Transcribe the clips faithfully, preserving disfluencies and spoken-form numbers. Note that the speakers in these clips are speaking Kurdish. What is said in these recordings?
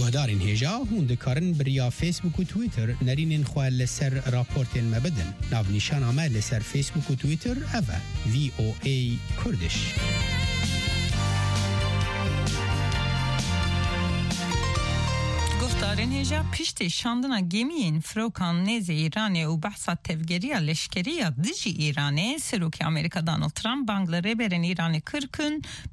Guhdarên hêja, hûn dikarin bi riya Facebook û Twitter nerînên xwe li ser raportên me bidin. Navnîşana me li ser Facebook û Twitter ev e, V O A Kurdish. Guhdarên hêja, piştî şandina gemiyên firokan nêzê Îranê û behsa tevgeriya leşkerî ya dijî Îranê, Serokê Amerîka Donald Trump bang li rêberên Îranê kir ku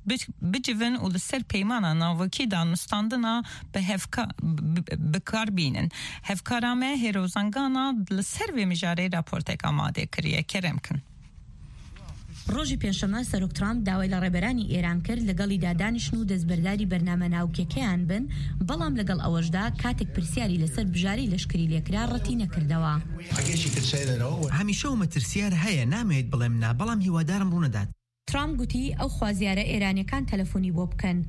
bi-, bicivin û li ser peymana navokî danûstandina bi hevka-, bi, bi, bi kar bînin. Hevkara me Hêro Zengana li ser vê mijarê raportek amade kiriye. Kerem kin. Rojî Pêncşeme Serok Trump dawای لە ڕێبەرانی ئێران کرد لەگەڵیدا دانیشن و دەستبەرداری بەرنامە ناوکیەکەیان بن، بەڵام لەگەڵ ئەوەشدا کاتێک پرسیاری لەسەر بژارەی لەشکری لێکرا ڕەتی نەکردەوە. I guess you could say that always. هەمیشە و مەترسیار هەیە، نامەوێت بڵێم نا، بەڵام هیوادارم ڕوونەدات. ترامپ گوتی ئەو خوازیارە ئێرانیەکان تەلەفۆنی بۆ بکەن.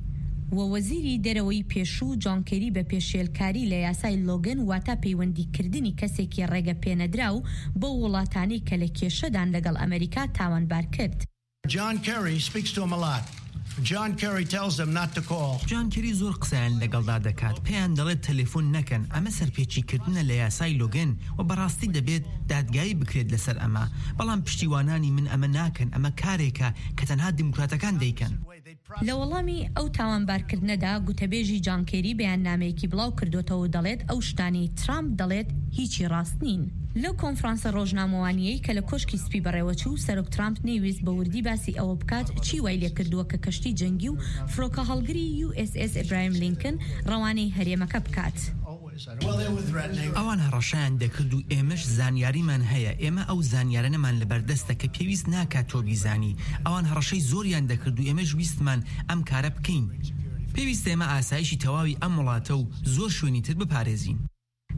و وەزیری دەرەوەی پێشوو جان کێری بە پێشێلکاری لە یاسای لۆگن، واتە پەیوەندیکردنی کەسێکی ڕێگە پێنەدراو بەو وڵاتانەی کە لە کێشەدان، لەگەڵ ئەمریکا تاوانبار کرد. John Kerry speaks to him a lot. John Kerry tells them not to call. جان کێری زۆر قسەیان لەگەڵدا دەکات، پێیان دەڵێت تەلەفۆن نەکەن. ئەمە سەرپێچیکردنە لە یاسای لۆگن و بەڕاستی دەبێت دادگایی بکرێت لەسەر ئەمە. بەڵام پشتیوانانی من ئەمە ناکەن. ئەمە کارێکە کە تەنها دیموکراتەکان دەیکەن. لە وەڵامی ئەو تاوانبارکردنەدا، گوتەبێژی جان کێری بەیاننامەیەکی بڵاو کردوتەوە و دەڵێت ئەو شتانەی ترامپ دەڵێت هیچی ڕاست نین. لەو کۆنفرانسە ڕۆژنامەوانیەی کە لە کۆشکی سپی بەڕێوەچوو، سەرۆک ترامپ نەیویست بە وردی باسی ئەوە بکات چی وای لێکردووە کە کەشتی جەنگی و فڕۆکە هەڵگری U S S Abraham Lincoln ڕەوانەی هەرێمەکە بکات. ئەوان هەڕەشەیان دەکرد و ئێمەش زانیاریمان هەیە. ئێمە ئەو زانیارانەمان لەبەردەستە کە پێویست ناکات تۆ بیزانی. ئەوان هەڕەشەی زۆریان دەکرد و ئێمەش ویستمان ئەم کارە بکەین. پێویستە ئێمە ئاسایشی تەواوی ئەم وڵاتە و زۆر شوێنی تر بپارێزین.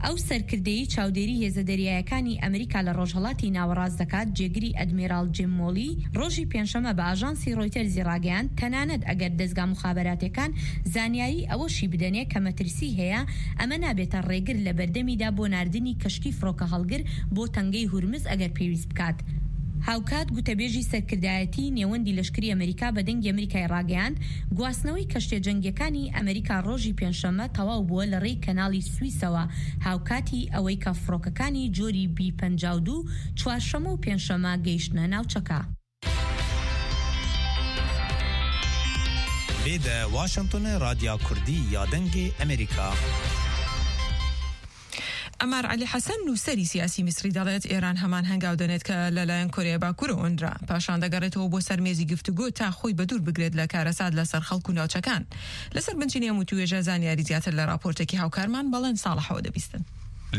ئەو سەرکردەی چاودێری هێزە دەریایەکانی ئەمریکا لە ڕۆژهەڵاتی ناوەڕاست دەکات، جێگری ئەدمیرال جیم مۆلی، ڕۆژی پێنجشەممە بە ئاژانسی ڕۆیتەرزی ڕاگەیاند، تەنانەت ئەگەر دەزگا مخابراتیەکان زانیاری ئەوەشی بدەنێ کە مەترسی هەیە، ئەمە نابێتە ڕێگر لە بەردەمیدا بۆ ناردنی کەشتی فڕۆکە هەڵگر بۆ تەنگەی هورمز ئەگەر پێویست بکات. هاوکات گوتەبێژی سەرکردایەتی نێوەندی لەشکری ئەمریکا بە دەنگی ئەمریکای ڕاگەیاند، گواستنەوەی کەشتیە جەنگیەکانی ئەمریکا ڕۆژی پێنجشەممە تەواو بووە لە ڕێی کەناڵی سویسەوە، هاوکاتی ئەوەی کە فڕۆکەکانی جۆری B پەنجا و دوو چوارشەممە و پێنجشەممە گەیشتنە ناوچەکە. Vê de Washingtonê Radya Kurdî ya Dengê Amerîka. ئەمار عەلی حەسەن، نووسەری سیاسی میسری، دەڵێت ئێران هەمان هەنگاو دەنێت کە لەلایەن کۆریای باکوورەوە ئەنرا. پاشان دەگەڕێتەوە بۆ سەر مێزی گفتوگۆ تا خۆی بە دوور بگرێت لە کارەسات لەسەر خەڵک و ناوچەکان. لەسەر بنچینی ئەم وتووێژە زانیاری زیاتر لە راپۆرتێکی هاوکارمان بەڵێن ساڵحەوە دەبیستن.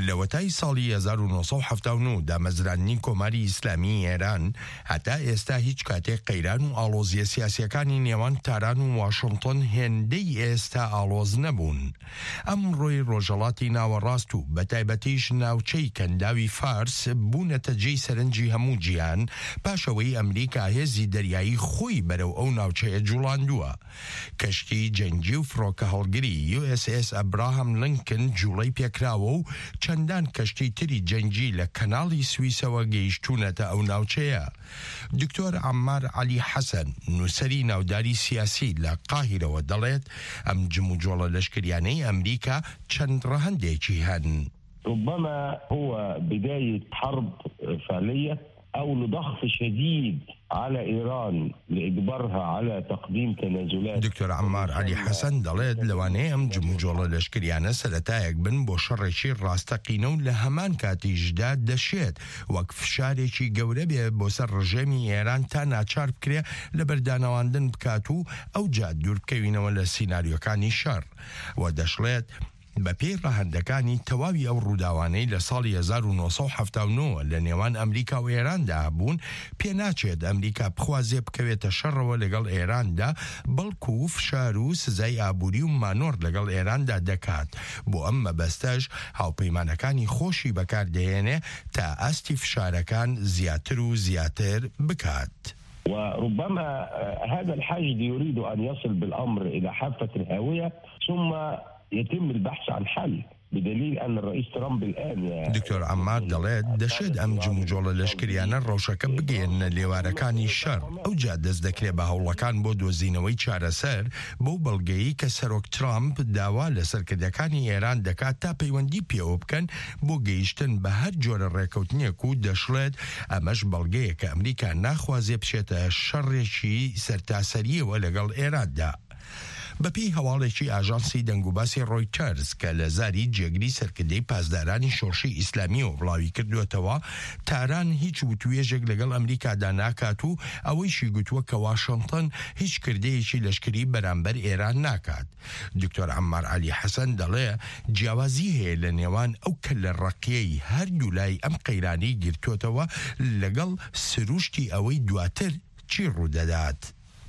لە وەتای ساڵی هەزار و نۆ سەد و حەفتا و نۆ دامەزراندنی کۆماری ئیسلامی ئێران، هەتا ئێستا هیچ کاتێک قەیران و ئاڵۆزیە سیاسیەکانی نێوان تاران و واشنگتن هێندەی ئێستا ئاڵۆز نەبوون. ئەمڕۆی ڕۆژهەڵاتی ناوەڕاست و بە تایبەتیش ناوچەی کەنداوی فارس بوونەتە جێی سەرنجی هەموو جیهان، پاشەوەی ئەمریکا هێزی دەریایی خۆی بەرەو ئەو ناوچەیە جوڵاندووە. کەشتی جەنگی و فڕۆکە هەڵگری U S S Abraham Lincoln جوڵەی پێکراوە و چەندان کەشتی تری جەنگی لە کەناڵی سویسەوە گەیشتوونەتە ئەو ناوچەیە. دکتۆر عەمار عەلی حەسەن، نووسەری ناوداری سیاسی لە قاهیرەوە دەڵێت، ئەم جم و جۆڵە لەشکریانەی ئەمریکا چەند ڕەهەندێکی هەن. ربما هو بداية حرب فعلية أو لضغط شديد على إيران لإجبارها على تقديم تنازلات. دکتۆر عەمار عەلی حەسەن دەڵێت، لەوانەیە ئەم جم و جۆڵە لەشکریانە سەرەتایەک بن بۆ شەڕێکی ڕاستەقینە و لە هەمان کاتیشدا دەشێت وەک فشارێکی گەورە بێ بۆ سەر ڕژێمی ئێران تا ناچار بکرێ لە بەردانەواندن بکات و ئەو جا دوور بکەوینەوە لە سیناریۆکانی شەڕ. و دەشڵێت، بە پێی ڕەهەندەکانی تەواوی ئەو ڕووداوانەی لە ساڵی هەزار و نۆ سەد و حەفتا و نۆ لە نێوان ئەمریکا و ئێراندا بوون، پێناچێت ئەمریکا بخوازێ بکەوێتە شەڕەوە لەگەڵ ئێراندا، بەڵکو فشار و سزای ئابووری و مانۆر لەگەڵ ئێراندا دەکات. بۆ ئەم مەبەستەش هاوپەیمانەکانی خۆشی بەکاردەهێنێ تا ئاستی فشارەکان زیاتر و زیاتر بکات. وربما، آه، هذا الحشد يريد أن يصل بالأمر إلى حافة الهاوية، ثم يتم البحث عن حل. بدليل أن الرئيس ترامب الآن دکتۆر عەممار دەڵێت، دەشێت ئەم جموجۆڵە لەشکریانە ڕەوشەکە بگەیەنە لێوارەکانی شەڕ. ئەوجا دەست دەکرێت بە هەوڵەکان بۆ دۆزینەوەی چارەسەر، بەو بەڵگەیەی کە سەرۆک ترامپ داوا لە سەرکردەکانی ئێران دەکات تا پەیوەندی پێوە بکەن بۆ گەیشتن بە هەر جۆرە ڕێکەوتنێک و دەشڵێت، ئەمەش بەڵگەیە کە ئەمریکا ناخوازێ بچێتە شەڕێکی سەرتاسەریەوە لەگەڵ ئێراندا. بەپێی هەواڵێکی ئاژانسی دەنگوباسی ڕۆیتەرز کە لە زاری جێگری سەرکردەی پاسدارانی شۆڕشی ئیسلامیەوە بڵاوی کردووەتەوە، تاران هیچ وتوێژێک لەگەڵ ئەمریکادا ناکات و ئەوەیشی گوتووە کە واشنگتن هیچ کردەیەکی لەشکری بەرامبەر ئێران ناکات. دکتۆر عەممار عەلی حەسەن دەڵێ، جیاوازی هەیە لە نێوان ئەو کە لە ڕەقیەی هەردوو لای ئەم قەیرانەی گرتووەتەوە لەگەڵ سروشتی ئەوەی دواتر چی ڕوودەدات.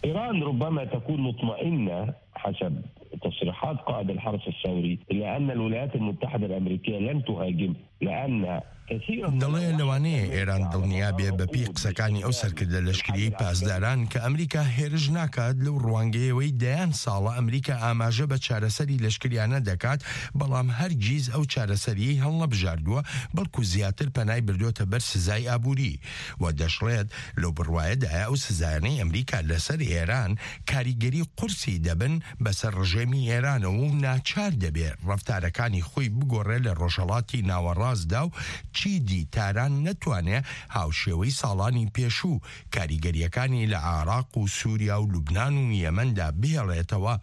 إيران ربما تكون مطمئنة حسب تصريحات قائد الحرس الثوري إلى أن الولايات المتحدة الأمريكية لن تهاجم، لأن كثيرا من دەڵێ، لەوانەیە ئێران دڵنیا بێ بە پێی قسەکانی ئەو سەرکردە لەشکریەی پاسداران کە ئەمریکا هێرش ناکات لەو ڕوانگەیەوەی دەیان ساڵە ئەمریکا ئاماژە بە چارەسەری لەشکریانە دەکات، بەڵام هەرگیز ئەو چارەسەریەی هەڵنەبژاردووە، بەڵکو زیاتر پەنای بردووەتە بەر سزای ئابووری. و دەشڵێت، لەو بڕوایەدایە ئەو سزایانەی ئەمریکا لەسەر ئێران کاریگەری قورسی دەبن بەسەر ڕژێمی ئێرانەوە و ناچار دەبێ ڕەفتارەکانی خۆی بگۆڕێ لە ڕۆژهەڵاتی ناوەڕاستدا و چیدی تاران نەتوانێ هاوشێوەی ساڵانی پێشوو کاریگەریەکانی لە عێراق و سووریا و لوبنان و یەمەندا بهێڵێتەوە.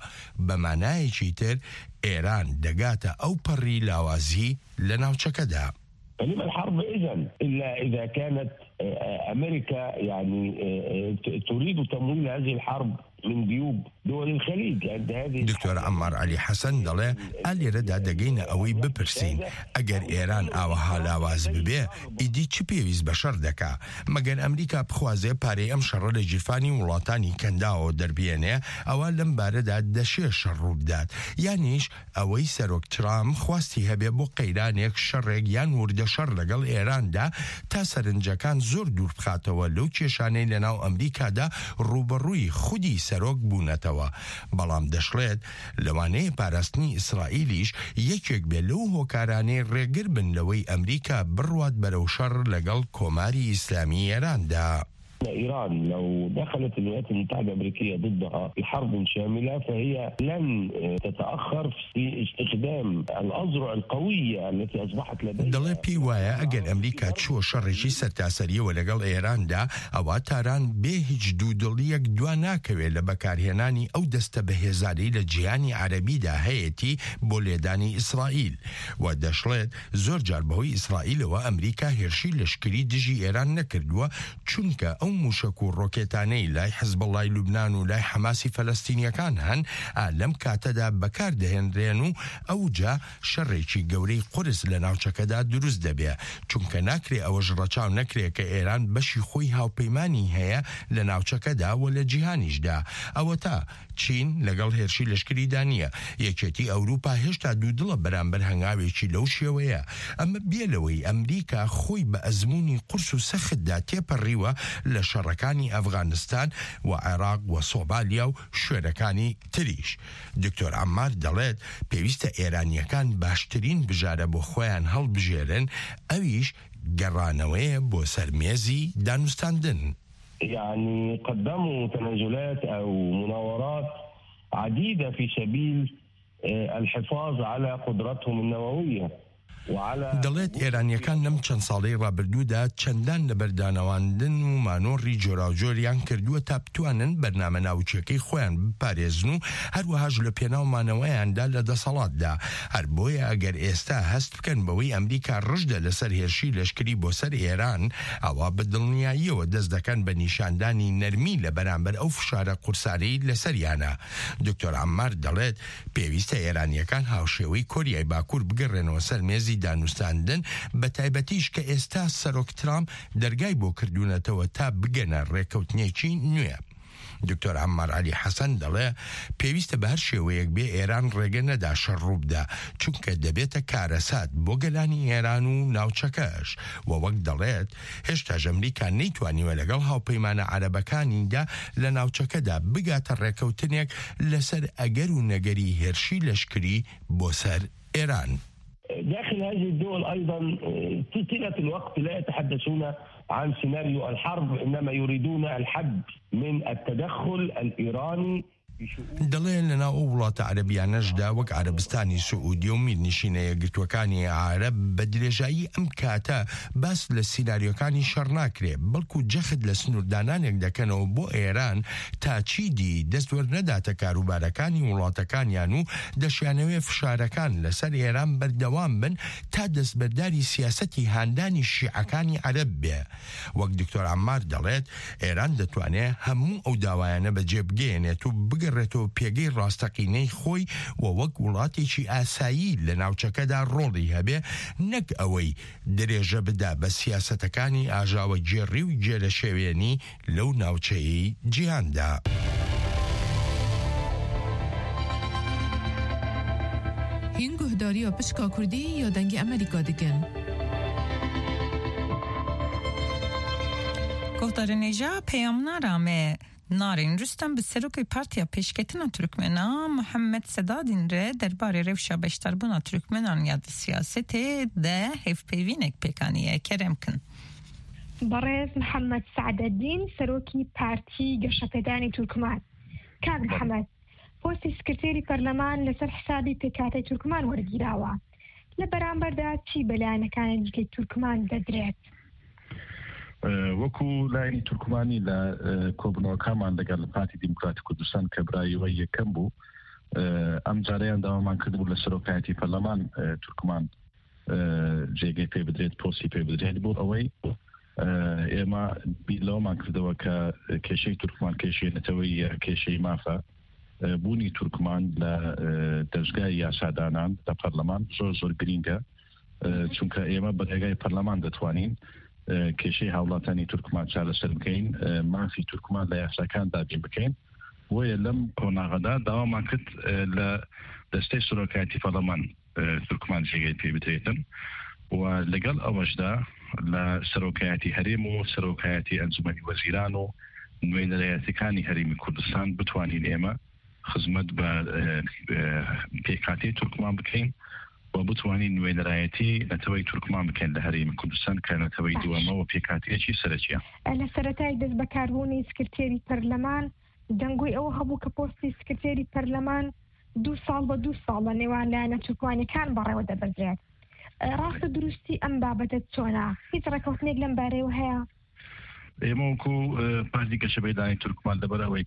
بە مانایەکی تر، ئێران دەگاتە ئەو پەڕی لاوازی لە ناوچەکەدا. فلما الحرب إذن إلا إذا كانت، آه، آه، أمريكا يعني، آه، آه، ت-، تريد تمويل هذه الحرب من جيوب دول الخليج عند هذه دکتۆر عەممار عەلی حەسەن دەڵێ، ئا لێرەدا دەگەینە ئەوەی بپرسین، ئەگەر ئێران ئاوەها لاواز ببێ، ئیدی چ پێویست بە شەڕ دەکا؟ مەگەر ئەمریکا بخوازێ پارەی ئەم شەڕە لە گیرفانی وڵاتانی کەنداوە دەربێنێ، ئەوە لەم بارەدا دەشێ شەڕ ڕوو بدات. یانیش ئەوەی سەرۆک ترامپ خواستی هەبێ بۆ قەیرانێک، شەڕێک یان وردە شەڕ لەگەڵ ئێراندا، تا سەرنجەکان زۆر دوور بخاتەوە لەو کێشانەی لە ناو ئەمریکادا ڕوبەڕووی خودی سەرۆک بوونەتەوە. بەڵام دەشڵێت، لەوانەیە پاراستنی ئیسرائیلیش یەکێک بێ لەو هۆکارانەی ڕێگر بن لەوەی ئەمریکا بڕوات بەرەو شەڕ لەگەڵ کۆماری ئیسلامی ئێراندا. إيران لو دخلت الولايات المتحدة الأمريكية ضدها بحرب شاملة فهي لن تتأخر في استخدام الأذرع القوية التي أصبحت لديها. دەڵێ، پێی وایە ئەگەر ئەمریکا چووە شەڕێکی سەرتاسەریەوە لەگەڵ ئێراندا، ئەوە تاران بێ هیچ دوودڵیەک دوا ناکەوێت لە بەکارهێنانی ئەو دەستە بەهێزانەی لە جیهانی عەرەبیدا هەیەتی بۆ لێدانی ئیسرائیل. و دەشڵێت، زۆر جار بەهۆی ئیسرائیلەوە ئەمریکا هێرشی لەشکری دژی ئێران نەکردووە، چونکە ئەو موشک و ڕۆکێتانەی لای حزبەڵای لوبنان و لای حەماسی فەلەستینیەکان هەن، ئا لەم کاتەدا بەکار دەهێنرێن و ئەوجا شەڕێکی گەورەی قورس لە ناوچەکەدا دروست دەبێ، چونکە ناکرێ ئەوەش ڕەچاو نەکرێ کە ئێران بەشی خۆی هاوپەیمانی هەیە لە ناوچەکەدا و لە جیهانیشدا. ئەوەتا چین لەگەڵ هێرشی لەشکریدا نییە. یەکێتی ئەوروپا هێشتا دوودڵە بەرامبەر هەنگاوێکی لەو شێوەیە. ئەمە بێ لەوەی ئەمریکا خۆی بە ئەزموونی قورس و سەختدا تێپەڕیوە لە شەڕەکانی ئەفغانستان و عێراق و سۆمالیا و شوێنەکانی تریش. دکتۆر عەممار دەڵێت، پێویستە ئێرانیەکان باشترین بژارە بۆ خۆیان هەڵبژێرن، ئەویش گەڕانەوەیە بۆ سەر مێزی دانوستاندن. يعني قدموا تنازلات أو مناورات عديدة في سبيل، آه، الحفاظ على قدرتهم النووية وعلى دەڵێت، ئێرانیەکان لەم چەند ساڵەی ڕابردوودا چەندان لە بەردانەواندن و مانۆڕی جۆراوجۆریان کردووە تا بتوانن بەرنامە ناوچیەکەی خۆیان بپارێزن و هەروەهاش لە پێناو مانەوەیاندا لە دەسەڵاتدا. هەر بۆیە ئەگەر ئێستا هەست بکەن بەوەی ئەمریکا ڕژدە لەسەر هێرشی لەشکری بۆ سەر ئێران، ئەوە بە دڵنیاییەوە دەست دەکەن بە نیشاندانی نەرمی لە بەرامبەر ئەو فشارە قورسانەی لەسەریانە. دکتۆر عەممار دەڵێت، پێویستە ئێرانیەکان هاوشێوەی کۆریای باکوور بگەڕێنەوە سەر مێزی دانوستاندن، بە تایبەتیش کە ئێستا سەرۆک ترامپ دەرگای بۆ کردوونەتەوە تا بگەنە ڕێکەوتنێکی نوێ. دکتۆر عەممار عەلی حەسەن دەڵێ، پێویستە بە هەر شێوەیەک بێ ئێران ڕێگە نەدا شەڕ ڕوو بدا، چونکە دەبێتە کارەسات بۆ گەلانی ئێران و ناوچەکەش. و وەک دەڵێت، هێشتاش ئەمریکا نەیتوانیوە لەگەڵ هاوپەیمانە عەرەبەکانیدا لە ناوچەکەدا بگاتە ڕێکەوتنێک لەسەر ئەگەر و نەگەری هێرشی لەشکری بۆ سەر ئێران. داخل هذه الدول أيضًا، آه، طيلة الوقت لا يتحدثون عن سيناريو الحرب، إنما يريدون الحد من التدخل الإيراني بشؤون دەڵێن لە ناو ئەو وڵاتە عەرەبیانەشدا وەک عەرەبستانی سعودی و میرنشینە یەکگرتووەکانی عەرەب بە درێژایی ئەم کاتە باس لە سیناریۆکانی شەڕ ناکرێ، بەڵکو جەخت لە سنووردانانێک دەکەنەوە بۆ ئێران تا چیدی دەست وەرنەداتە کاروبارەکانی وڵاتەکانیان و دەشیانەوێ فشارەکان لەسەر ئێران بەردەوام بن تا دەستبەرداری سیاسەتی هاندانی شیعەکانی عەرەب بێ. وەک دکتۆر عەمار دەڵێت، ئێران دەتوانێت هەموو ئەو داوایانە بەجێ بگەیەنێت و بگەڕێتەوە پێگەی ڕاستەقینەی خۆی و وەک وڵاتێکی ئاسایی لە ناوچەکەدا ڕۆڵی هەبێ، نەک ئەوەی درێژە بدا بە سیاسەتەکانی ئاژاوە گێڕی و گێرەشێوێنی لەو ناوچەیەی جیهاندا. Hîn guhdariya pişka Kurdî ya Dengê Amerîka dikin. Guhdarên hêja peyamnara me Narîn Rustem bi serokê Partiya Pêşketina Turkmena Muhammed Sedadîn re derbarê rewşa beşdarbûna Turkmenan ya di siyasetê de hevpeyvînek pêk aniye. Kerem kin. بەڕێز محەممەد سەعدەدین، سەرۆکی پارتی گەشەپێدانی تورکمان. کاک محەممەد، پۆستی سکرتێری پەرلەمان لەسەر حسابی پێکهاتەی تورکمان وەرگیراوە. لە بەرامبەردا چی بە لایەنەکانی دیکەی تورکمان دەدرێت؟ ئە، وەکو لایەنی تورکمانی لە، ئە، کۆبوونەوەکانمان لەگەڵ پارتی دیموکراتی کوردستان کە برای وە یەکەم بوو، ئە، ئەم جارەیان داوامان کردبوو لە سەرۆکایەتی پەرلەمان، ئە، تورکمان، ئە، جێگەی پێ بدرێت، پۆستی پێ بدرێت. بۆ ئەوەی، ئە، ئێمە بیر لەوەمان کردەوە کە کێشەی تورکمان کێشەی نەتەوەییە، کێشەی مافە. ئە، بوونی تورکمان لە، ئە، دەستگای یاسادانان لە پەرلەمان زۆر زۆر گرینگە. ئە، چونکە ئێمە بە ڕێگای پەرلەمان دەتوانین، ئە، کێشەی هاوڵاتانی تورکمان چارەسەر بکەین، ئە، مافی تورکمان لە یاساکان دابین بکەین. بۆیە لەم قۆناغەدا داوامان کرد، ئە، لە دەستەی سەرۆکایەتی پەرلەمان، ئە، تورکمان جێگەی پێ بدرێتن و لەگەڵ ئەوەشدا لە سەرۆکایەتی هەرێم و سەرۆکایەتی ئەنجومەنی وەزیران و نوێنەرایەتەکانی هەرێمی کوردستان بتوانین ئێمە خزمەت بە، ئە، ئە، پێکهاتەی تورکمان بکەین و بتوانین نوێنەرایەتی نەتەوەی تورکمان بکەین لە هەرێمی کوردستان کە نەتەوەی باش. دووەمە و پێکهاتەیەکی سەرەکیە. لە سەرەتای دەست بەکاربوونی سکرتێری پەرلەمان، دەنگۆی ئەوە هەبوو کە پۆستی سکرتێری پەرلەمان دوو ساڵ بە دوو ساڵ لە نێوان لایەنە تورکمانیەکان بەڕێوە دەبردرێت. ئە، ڕاستە دروستی ئەم بابەتە چۆنە؟ هیچ ڕێکەوتنێک لەم بارەیەوە هەیە؟ ئێمە وەکو، ئە، پارتی گەشەپێدانی تورکمان لەبەر ئەوەی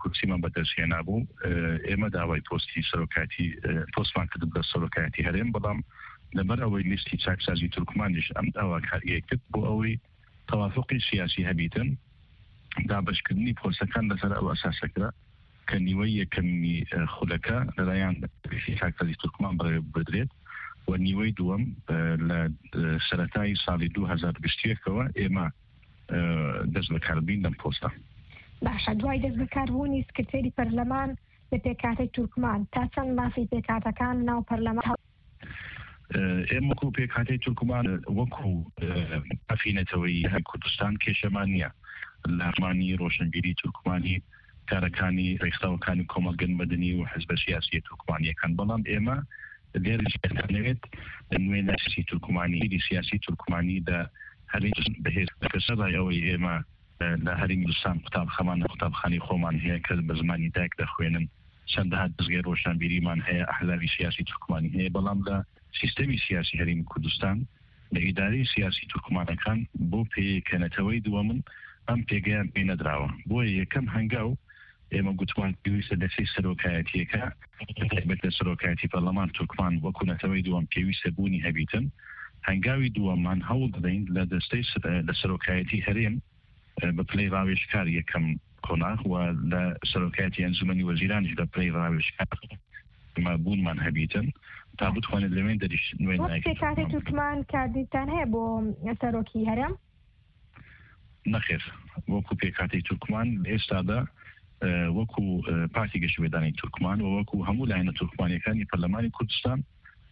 کورسیمان بەدەست هێنابوو، ئە، ئێمە داوای پۆستی سەرۆکایەتی، ئە، پۆستمان کردبوو لە سەرۆکایەتی هەرێم، بەڵام لەبەر ئەوەی لیستی چاکسازی تورکمانیش ئەم داواکاریە کرد، بۆ ئەوەی تەوافقی سیاسی هەبیتن، دابەشکردنی پۆستەکان لەسەر ئەو ئەساسە کرا کە نیوەی یەکەمی، ئە، خولەکە لەلایەن لیستی چاکسازی تورکمان بەڕێوە بدرێت و نیوەی دووەم، ئە، لە، ئە، سەرەتای ساڵی دوو هەزار و بیست و یەکەوە ئێمە، ئە، دەست بەکاربین لەم پۆستە. باشە، دوای دەست بەکاربوونی سکرتێری پەرلەمان لە پێکهاتەی تورکمان، تا چەند مافی پێکهاتەکان ناو پەرلەمان هەڵ- ئێمە وەکو پێکهاتەی تورکمان، وەکو، ئە، مافی نەتەوەیی هەرێمی کوردستان کێشەمان نییە. لە ڕمانی ڕۆشنبیری تورکمانی، کارەکانی ڕێکخراوەکانی کۆمەڵگەن مەدەنی و حزبە سیاسیە تورکمانیەکان. بەڵام ئێمە لێرە دەتانەوێت نوێنەری سیاسی تورکمانی، لیدی سیاسی تورکمانی لە هەرێم بەهێز بکە. سەرای ئەوەی ئێمە، ئە، لە هەرێمی کوردستان قوتابخانەمان، قوتابخانەی خۆمان هەیە کە بە زمانی دایک دەخوێنن. چەندەها دەستگای ڕۆشنبیریمان هەیە، ئەحزابی سیاسی تورکمانی هەیە، بەڵام لە سیستەمی سیاسی هەرێمی کوردستان، لە ئیدارەی سیاسی تورکمانەکان بۆ پێیەی کە نەتەوەی دووەمن، ئەم پێگەیان پێ نەدراوە. بۆیە یەکەم هەنگاو ئێمە گوتمان پێویستە دەستەی سەرۆکایەتیەکە، تایبەت لە سەرۆکایەتی پەرلەمان تورکمان وەکو نەتەوەی دووەم پێویستە بوونی هەبیتن. هەنگاوی دووەممان هەوڵ دەدەین لە دەستەی سەر-، لە سەرۆکایەتی هەرێم، ئە، بە پلەی ڕاوێژکار یەکەم قۆناغ و لە سەرۆکایەتی ئەنجومەنی وەزیرانیش بە پلەی ڕاوێژکار مابوونمان هەبیتن تا بتوانێت لەوێن دەریش نوێن وەک پێکهاتەی تورکمان کاردیتان هەیە بۆ سەرۆکی هەرێم؟ نەخێر، وەکو پێکهاتەی تورکمان ئێستادا، ئە، وەکو، ئە، پارتی گەشەپێدانی تورکمان و وەکو هەموو لایەنە تورکمانیەکانی پەرلەمانی کوردستان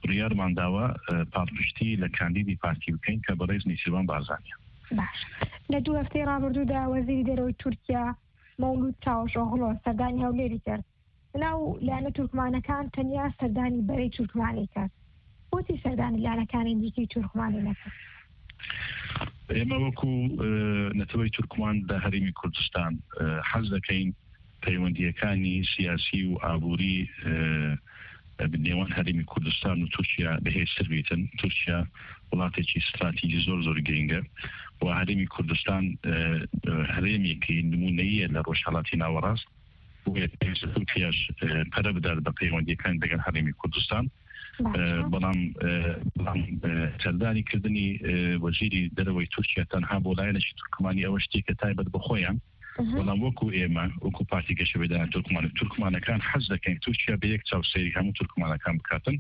بڕیارمان داوە، ئە، پاڵپشتی لە کاندیدی پارتی بکەین کە بەڕێز نێچیروان بارزانیە. باش. لە دوو هەفتەی ڕابردوودا وەزیری دەرەوەی تورکیا مەولود چاوش ئۆغلۆ سەردانی هەولێری کرد. ناو لایەنە تورکمانەکان تەنیا سەردانی بەرەی تورکمانی کرد. بۆ چی سەردانی لایەنەکانی دیکەی تورکمانی نەکرد؟ ئێمە وەکو، ئە، نەتەوەی تورکمان لە هەرێمی کوردستان، ئە، حەز دەکەین پەیوەندیەکانی سیاسی و ئابووری، ئە، نێوان هەرێمی کوردستان و تورکیا بەهێزتر بیتن. تورکیا وڵاتێکی استراتیژی زۆر زۆر گرنگە و هەرێمی کوردستان، ئە، ئە، هەرێمێکی نمونەیە لە ڕۆژهەڵاتی ناوەڕاست. بۆیە پێویستە تورکیاش، ئە، پەرە بدات بە پەیوەندیەکانی دەگەڵ هەرێمی کوردستان. باشە. ئە، بەڵام، ئە، بەڵام، ئە، سەردانی کردنی، ئە، وەزیری دەرەوەی تورکیا تەنها بۆ لایەنێکی تورکمانی ئەوە شتێکە تایبەت بە خۆیان. ئەها. بەڵام وەکو ئێمە، وەکو پارتی گەشەپێدانە تورکمان، تورکمانەکان حەز دەکەین تورکیا بە یەک چاو سەیری هەموو تورکمانەکان بکاتن.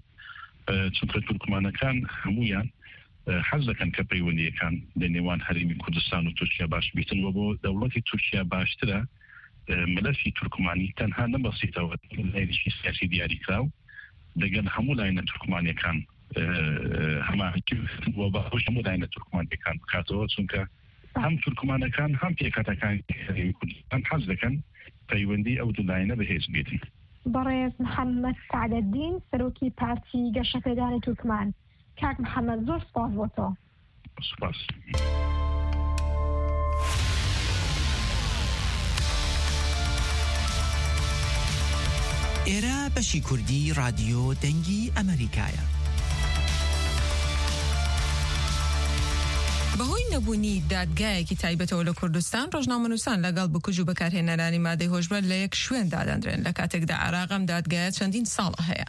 ئە، چونکە تورکمانەکان هەمویان، ئە، حەز دەکەن کە پەیوەندیەکان لە نێوان هەرێمی کوردستان و تورکیا باش بیتن و بۆ دەوڵەتی تورکیا باشترە، ئە، مەلەفی تورکمانی تەنها نەبەسیتەوە لایەنێکی سیاسی دیاریکراو لەگەڵ هەموو لایەنە تورکمانیەکان، ئە، هەماهەنگی بکەن و باوەش هەموو لایەنە تورکمانیەکان بکاتەوە، چونکە هەم تورکمانەکان هەم پێکهاتەکانی هەرێمی کوردستان حەز دەکەن پەیوەندی ئەو دوو لایەنە بەهێز بێتن. بەڕێز محەممەد سەعدەدین، سەرۆکی پارتی گەشەپێدانی تورکمان. کاک محەممەد، زۆر سپاس بۆ تۆ. سپاس. ئێرە بەشی کوردی ڕادیۆ دەنگی ئەمریکایە. بەهۆی نەبوونی دادگایەکی تایبەتەوە لە کوردستان، ڕۆژنامەنووسان لەگەڵ بکوژ و بەکارهێنەرانی مادەی هۆشبەر لە یەک شوێن دادەندرێن، لە کاتێکدا عێراق ئەم دادگایە چەندین ساڵە هەیە.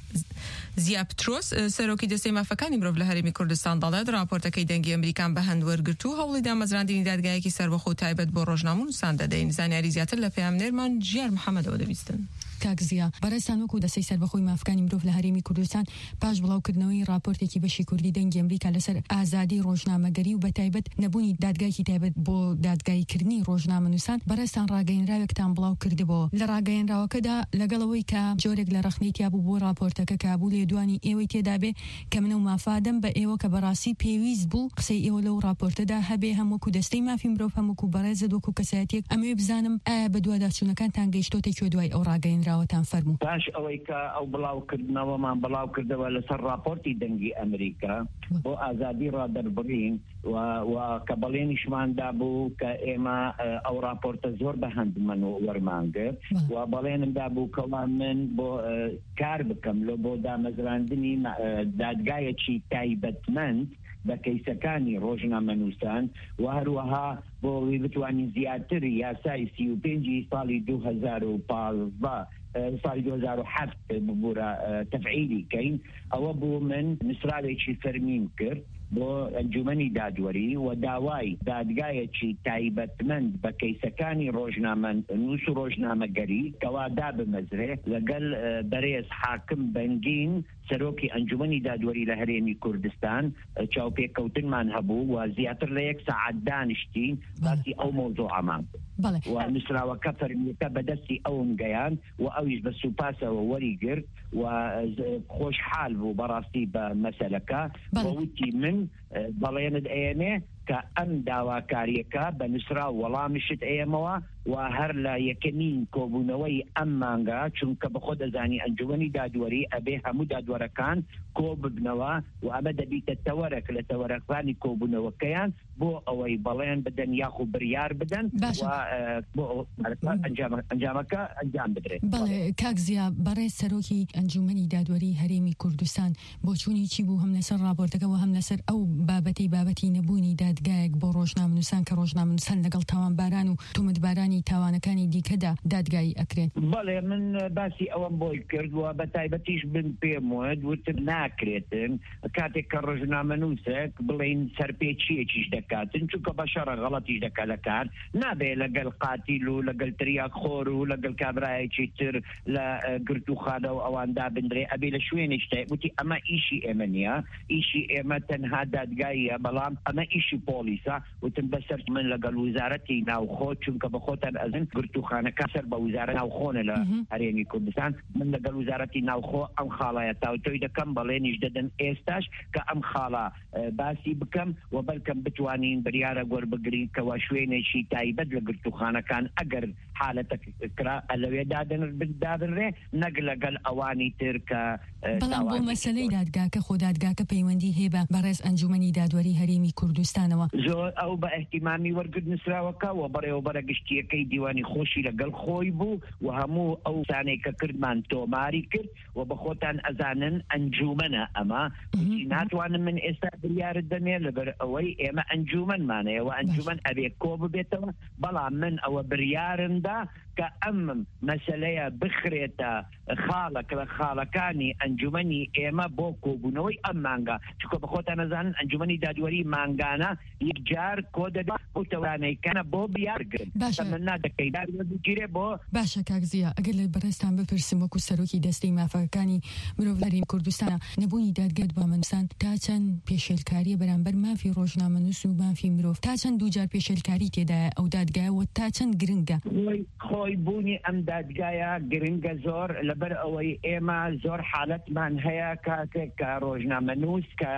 زیا پترۆس، سەرۆکی دەستەی مافەکانی مرۆڤ لە هەرێمی کوردستان، دەڵێت راپۆرتەکەی دەنگی ئەمریکان بە هەند وەرگرت و هەوڵی دامەزراندنی دادگایەکی سەربەخۆ و تایبەت بۆ ڕۆژنامەنووسان دەدەین. زانیاری زیاتر لە پەیامنێرمان ژیار محەممەدەوە دەبیستن. کاک زیا، بەڕێزتان، وەکو دەستەی سەربەخۆی مافەکانی مرۆڤ لە هەرێمی کوردستان، پاش بڵاوکردنەوەی راپۆرتێکی بەشی کوردی دەنگی ئەمریکا لەسەر ئازادی ڕۆژنامەگەری و بە تایبەت نەبوونی دادگایەکی تایبەت بۆ دادگاییکردنی ڕۆژنامەنووسان، بەڕێزتان ڕاگەیەنراوێکتان بڵاو کردبووە. لە ڕاگەیەنراوەکەدا، لەگەڵ ئەوەی کە جۆرێک لە ڕەخنەی تیابوو بۆ راپۆرتەکە، کە بوو لێدوانی ئێوەی تێدا بێ، کە منە و مافادەم بە ئێوە کە بەڕاستی پێویست بوو قسەی ئێوە لەو راپۆرتەدا هەبێ، هەم وەکو دەستەی مافی مرۆڤ، هەم وەکو بەڕێزت، وەکو کەسایەتیەک. ئەمەوێ بزانم ئایا بە دوواداچوونەکانتان گەیشتۆتە کوێ دوای ئەو ڕاگەیەنراوەتان؟ فەرموو. پاش ئەوەی کە ئەو بڵاوکردنەوەمان بڵاو کردەوە لەسەر راپۆرتی دەنگی ئەمریکا بۆ ئازادی ڕادەربڕین و، و کە بەڵێنیشمان دابوو کە ئێمە، ئە، ئەو راپۆرتە زۆر بە هەند من و وەرمانگرت بەڵێ. و بەڵێنم دابوو کەوا من بۆ، ئە، کار بکەم لۆ بۆ دامەزراندنی مە-، ئە، دادگایەکی تایبەتمەند بە کەیسەکانی ڕۆژنامەنووسان و هەروەها بۆ ئەوەی بتوانین زیاتر یاسای سی و پێنج ساڵی دوو هەزار و پازدە، ئە، ساڵی دوو هەزار و هەفت ببوورە، ئە، تەفعیلی کەین. ئەوە بوو من نووسراوێکی فەرمیم کرد بۆ ئەنجومەنی دادوەری و داوای دادگایەکی تایبەتمەند بە کەیسەکانی ڕۆژنامە نووس و ڕۆژنامەگەری کەوا دابمەزرێ لەگەل، ئە، بەرێز حاکم بەنگین، سەرۆکی ئەنجومەنی دادوەری لە هەرێمی کوردستان، ئە، چاوپێکەوتنمان هەبوو و زیاتر لە یەک سەعات دانیشتین، بەڵێ. باسی ئەو مۆزوعەمان کرد. بەڵێ. و نووسراوەکە فەرمیەکە بەدەستی ئەوم گەیاند و ئەویش بە سوپاسەوە وەری گرت و، ئە، ز-، خۆشحال بوو بەڕاستی بە مەسەلەکە. بەڵێ. و وتی من، ئە، بەڵێنت ئەیەمێ کە ئەم داواکاریەکە بە نووسراو وەڵامشت ئەیەمەوە و هەر لە یەکەمین کۆبوونەوەی ئەم مانگە، چونکە بە خۆ دەزانی ئەنجومەنی دادوەری ئەبێ هەموو دادوەرەکان کۆ ببنەوە و ئەمە دەبیتە تەوەرەک لە تەوەرەکانی کۆبوونەوەکەیان بۆ ئەوەی بەڵێن بدەن یاخو بریار بدەن باشە. و، ئە، بۆ ئەو ئەنجامە-، ئەنجامەکە ئەنجام بدرێت. بەڵێ، کاک زیا، بەڕێز سەرۆکی ئەنجومەنی دادوەری هەرێمی کوردستان، بۆچوونی چی بوو هەم لەسەر راپۆرتەکە و هەم لەسەر ئەو بابەتەی، بابەتی نەبوونی دادگایەک بۆ ڕۆژنامەنووسان کە ڕۆژنامەنووسان لەگەڵ تاوانباران و تۆمەتبارانی تاوانەکانی دیکەدا دادگایی ئەکرێن؟ بەڵێ، من باسی ئەوەم بۆی کرد و بە تایبەتیش بن پێم وت، وتم ناکرێتن کاتێک کە ڕۆژنامەنووسێک بڵێن سەرپێچیەکیش دەکاتن، چونکە بە شەڕە غەڵەتیش دەکات لە کار، نابێ لەگەل قاتیل و لەگەل تریاک خۆر و لەگەل کابرایەکی تر لە، ئە، گرتووخانە و ئەوان دابندرێ، ئەبێ لە شوێنێک شتێ. وتی ئەمە ئیشی ئێمە نییە، ئیشی ئێمە تەنها دادگاییە، بەڵام ئەمە ئیشی پۆلیسە. وتم بەسەر من لەگەل وزارەتی ناوخۆ، چونکە بە خۆت بەخۆتان ئەزن گرتوخانەکە سەر بە وزارە ناوخۆنە لە هەرێمی کوردستان. من لەگەڵ وزارەتی ناوخۆ ئەم خاڵایە تاوتۆی دەکەم، بەڵێنیش دەدەم ئێستاش کە ئەم خاڵە، ئە، باسی بکەم و بەلکەم بتوانین بریارە گۆر بگرین کەوا شوێنێکی تایبەت لە گرتوخانەکان ئەگەر حالەتە کرا لەوێ دادن-، دابنرێ، نەک لەگەڵ ئەوانی تر کە، ئە، بەڵام بۆ تاوان مەسەلەی دادگاکە، خۆ دادگاکە پەیوەندی هەیە بە بەڕێز ئەنجومەنی دادوەری هەرێمی کوردستانەوە. زۆر ئەو بە ئەهتیمامی وەرگرت نووسراوەکە و بەڕێوەبەرە گشتیەکەی دیوانی خۆشی لەگەڵ خۆی بوو و هەموو ئەو سانەی کە کردمان تۆماری کرد و بە خۆتان ئەزانن ئەنجومەنە ئەمە. وتی ناتوانم من ئێستا بریارت دەمێ، لەبەر ئەوەی ئێمە ئەنجومەنمانەیە و ئەنجومەن ئەبێ کۆ ببێتەوە، بەڵام من ئەوە بریارم دا کە ئەم مەسەلەیە بخرێتە خاڵە، کە خاڵەکانی ئەنجومەنی ئێمە بۆ کۆبوونەوەی ئەم مانگە، چونکە بە خۆتان ئەزانن ئەنجومەنی دادوەری مانگانە یەکجار کۆ دەبێت و تەورانەیکانە بۆ بریار گرن. باشە. تەمەنا دەکەی دادوەر بگیرێ بۆ باشە کاک زیا، ئەگەر لە بەڕێزتان بپرسم وەکو سەرۆکی دەستەی مافەکانی مرۆڤ لە هەرێمی کوردستانە، نەبوونی دادگای دادوەرمەندستان تا چەند پێشێلکاریە بەرامبەر مافی ڕۆژنامەنووس و مافی مرۆڤ؟ تا چەند دووجار پێشێلکاری تێدایە ئەو دادگایە و تا چەند گرنگە؟ خۆی، خۆی بوونی ئەم دادگایە گرنگە زۆر، لەبەر ئەوەی ئێمە زۆر حالەتمان هەیە کاتێک کە ڕۆژنامەنووس کە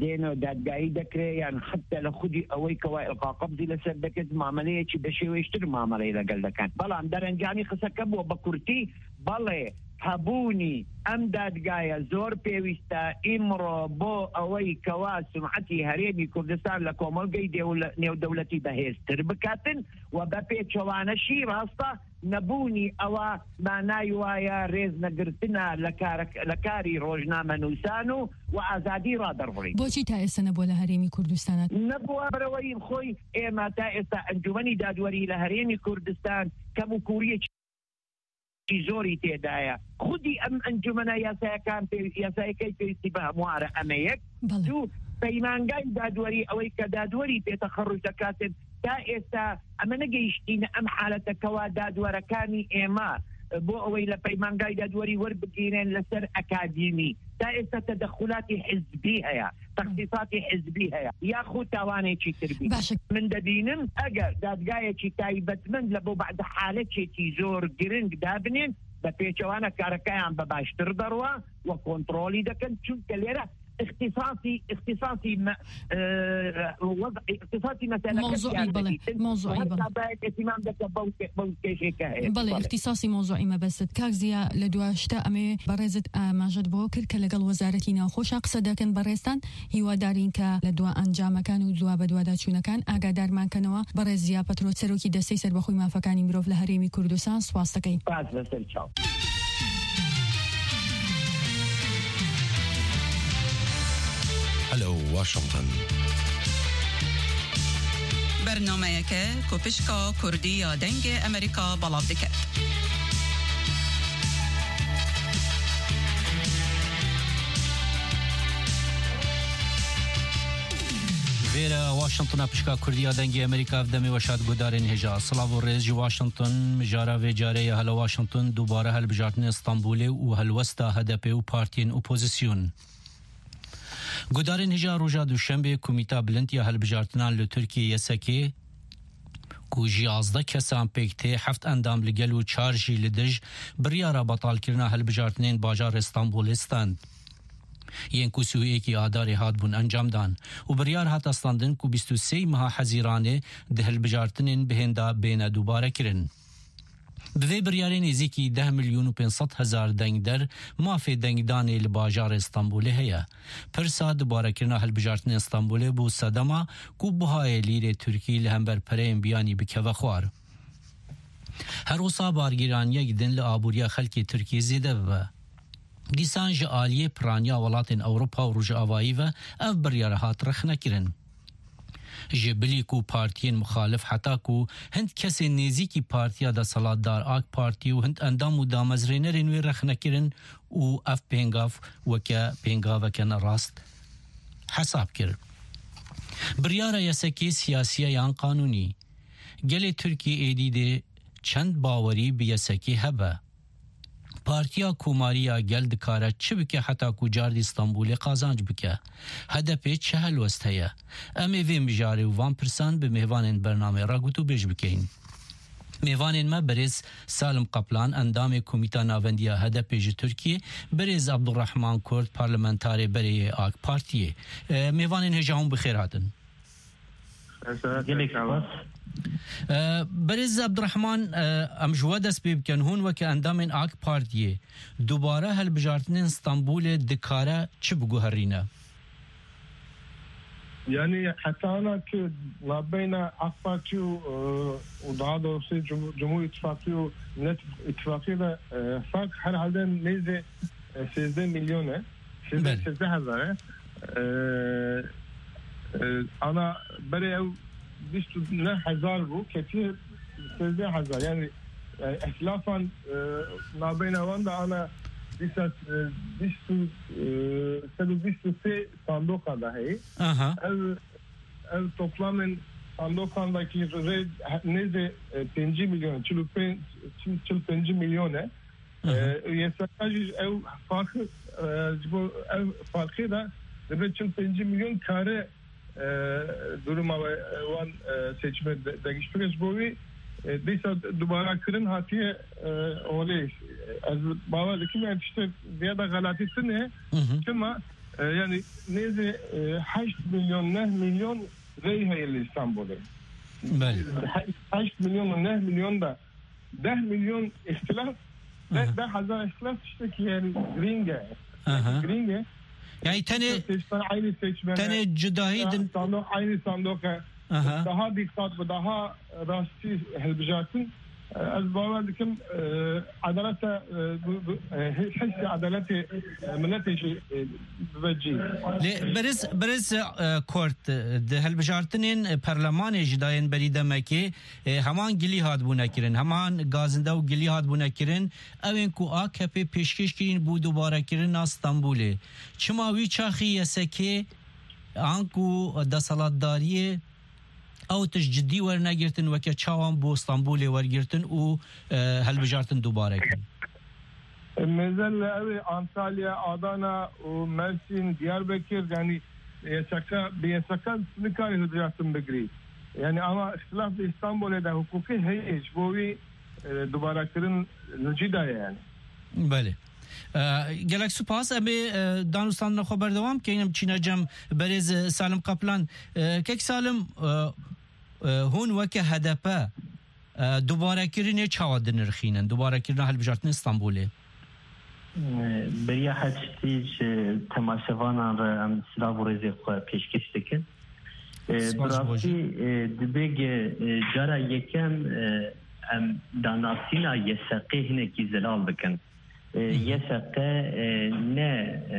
دێنە دادگایی دەکرێ، یان حتە لە خودی ئەوەی کەوا ئیلقا قەبزی لەسەر دەکرێت، مامەلەیەکی بە شێوەیەشتر مامەلەی لەگەڵ دەکەن. بەڵام دەرەنجامی قسەکە بووە بە کورتی، بەڵێ، هەبوونی ئەم دادگایە زۆر پێویستە ئیمڕۆ بۆ ئەوەی کەوا سومعەتی هەرێمی کوردستان لە کۆمەڵگەی دێولە-، نێودەولەتی بەهێزتر بکاتن و بە پێچەوانەشی ڕاستە نەبوونی ئەوە مانای وایە ڕێز نەگرتنە لە کارەک-، لە کاری ڕۆژنامە نووسان و، و ئازادی ڕادەربڕین. بۆچی تا ئێستا نەبووە لە هەرێمی کوردستانە؟ نەبووە بەرەوەی خۆی ئێمە تا ئێستا ئەنجومەنی دادوەری لە هەرێمی کوردستان کەم و کووریەکی زۆری تێدایە. خودی ئەم ئەنجومەنە یاسایەکان پێوی-، یاسایەکەی پێویستی بە هەموارە ئەمە یەک. بەڵێ. دوو، پەیمانگای دادوەری، ئەوەی کە دادوەری پێتەخەڕوج دەکاتن، تا ئێستا ئەمە نەگەیشتینە ئەم حالەتەکەوە دادوەرەکانی ئێمە بۆ ئەوەی لە پەیمانگای دادوەری وەربگیرێن لەسەر ئەکادیمی. تا ئێستا تەدەخولاتی حزبی هەیە، تەخصیصاتی حزبی هەیە، یاخود تاوانێکی تر بی. باشە. من دەبینم ئەگەر دادگایەکی تایبەتمەند لە بۆ بەعدە حالەتێکی زۆر گرنگ دابنێن، بە پێچەوانە کارەکەیان بە باشتر دەڕوا و کۆنترۆلی دەکەن، چونکە لێرە اختصاصی، اختصاصی مە-، ئە، وەضع، اختصاصی مەسەلەکە مەوزوعی، زیاد بەڵێ، دەبیتن. مەوزوعی، و هەتا بەڵێ. باید ئەتیمام دەکە بەو، بەو کێشەی کە هەیە. بەڵێ، بەڵێ. اختصاصی مەوزوعی مەبەست. کاک زیا، لە دوا شتە ئەمەوێ بەڕێزت ئاماژەت بۆ کرد کە لەگەڵ وەزارەتی ناوخۆشا قسە دەکەن. بەڕێزتان هیوادارین کە لە دوا ئەنجامەکان و دوا بە دواداچوونەکان ئاگادارمان کەنەوە. بەڕێز زیا پەترۆ، سەرۆکی دەستەی سەربەخۆی مافەکانی مرۆڤ لە هەرێمی کوردستان، سپاس دەکەین. سپاس، لەسەر چاو. Hello Washington. Bernameyeke ku pişka Kurdî ya Dengê Amerîka belav dike. Vêre Washingtona pişka Kurdî ya Dengê Amerîka, ev demê weşa di guhdarên hêja. Silav û rêz ji Washington, mijara vê carê ya Hello Washington, dubare hilbijartinên Stenbolê û helwesta H D P û partiyên opozîsyon. Guhdarên hêja, roja Duşembê Komîta Bilind ya Hilbijartinan li Tirkiyê, Y S K, ku ji yazdeh kesan pêk tê, heft endam li gel û çar jî li dij, biryara betalkirina hilbijartinên bajarê Stenbolê stend. Yên ku sî û yekê Adarê hatbûn encamdan û biryar hate standin ku bîst û sê meha Hezîranê di hilbijartinên bihênda bêne dubarekirin. Bi vê biryarê nêzîkî deh milyon û pênc sed hezar dengder mafê dengdanê li bajarê Stenbolê heye. Pirsa dubarekirina hilbijartinên Stenbolê bû sedema ku buhayê lîrê Tirkî li hember pereyên biyanî bikeve xwar. Her wisa bargîraniyek din li aboriya xelkê Tirkiyê zêde bibe. Dîsan ji aliyê piraniya welatên Ewropa û Rojavayî ve ev biryar hat rexnekirin. Ji bilî ku partiyên muxalif heta ku hind kesên nêzîkî partiya desthilatdar AK Partî û hind endam û damezrênerên wê rexnekirin û ev pêngav weke pêngaveke nerast hesab kir. Biryara Y S Kê siyasî ye yan qanûnî? Gelê Tirkî êdî dê çend bawerî bi Y S Kê hebe? Partiya Komarî ya Gel dikare çi bike heta ku cardî Stenbolê qazanc bike? H D P çi helwest heye? Em ê vê mijarê û van pirsan bi mêvanên bernameyê re gotûbêj bikeyin. Mêvanên me birêz Salim Kaplan, endamê Komîta Navendiya H D P ji Tirkiyê, birêz Abdurrahman Kurt, parlamentarê berê yê AK Partiyê. E, mêvanên hêja hûn bi xêr hatin. Gelek spas. E, birêz Abdurrahman, e, em ji we dest pê bikin. Hûn weke endamên AK Partiyê dubare hilbijartinên Stenbolê dikare çi biguherîne? Yani heta ana ki nabeyna AK Parti û, e, û daha doğrusu Cum-, Cumhur İttifakı û Millet İttifakı da, e, fark herhalde neyse, e, sêzdeh milyon e. Sêzdeh, Belê. sêzdeh hezar e. E, e, ana berê ew bîst û neh hezar bû, ketiye sêzdeh hezar. Yani, e, ihtilafan, e, nabeyna wan da ana bîst, e, bîst û, e, sed û bîst û sê sandoka da heye. Aha. Ev, ev toplamên sandokan da ki rê nêzê, e, pêncî milyon, çil û pênc, çil, çil pêncî milyon e. Aha. E, Y S K jî ev farkı, e, ji bo ev farkê de dibe çil pêncî milyon kare, e, duruma we, e, wan, e, seçime de, degişt bike. Ji bo wî, e, dîsa dubara kirin hatiye, e, holê. Ez bawer dikim, yani tiştek vêya da xelatî tune. Hı hı. Çima, e, yani nêzê, e, heşt milyon, neh milyon rey heye li Îstanbulê. Belê. He-, heşt milyon û neh milyon da deh milyon îhtilaf, deh, Aha. deh hezar îhtilaf tiştekî yani girîng e. Aha. Girîng e. Yani tenê, Seçmen aynı seçmen. tenê cudahî Ya, din. sandok aynı sandok e. Aha. Daha dikkat ve daha rastî hilbijartin. E, ez bawer dikim, e, adaleta, e, bu, bu, e, his-, hissê adeletê, e, miletê jî, e, bibe cî. Lê biriz, biriz, e, Kurt, e, di hilbijartinên, e, perlemanê jî dayên berî demekê, e, heman gilî hatbûne kirin, heman gazinde û gilî hatbûne kirin, ew ên ku A K P pêşkêş kirîn bû dubarekirina Stenbolê. Çima wî çaxî Y S K, anku deselatdariyê ew tişt cidî wernegirtin, weke çawan bo Stenbolê wergirtin û, e, hilbijartin dubare kirin? Mêzel li ew ê Antalya, Adana û Mersin, Diyarbekir, yani Y S K, bi Y S K nikare hilbijartin bigirî. Yani ama îhtilaf li Îstanbulê de hukukî heye, ji bo wî, e, dubare kirin li cî de ye yani. Belê. E, gelek spas. Em ê, e, danûstandina xwe berdewam keyin, em çîne cem berêz, e, Salim Kaplan. E, kek Salim, e, e, hûn weke H D P, e, dubarekirinê çawa dinirxînin? Dubarekirina hilbijartinê Stenbolê? E, beriya her tiştî ji temaşevanan re em silav û rêzê xwe pêşkêş dikin. E, Spas bi rastî, e, dibe ge, e, cara yekem, e, em danasîna Y S Qê hinekî zelal bikin. E, Hı hı. Y S Q, e, ne, e,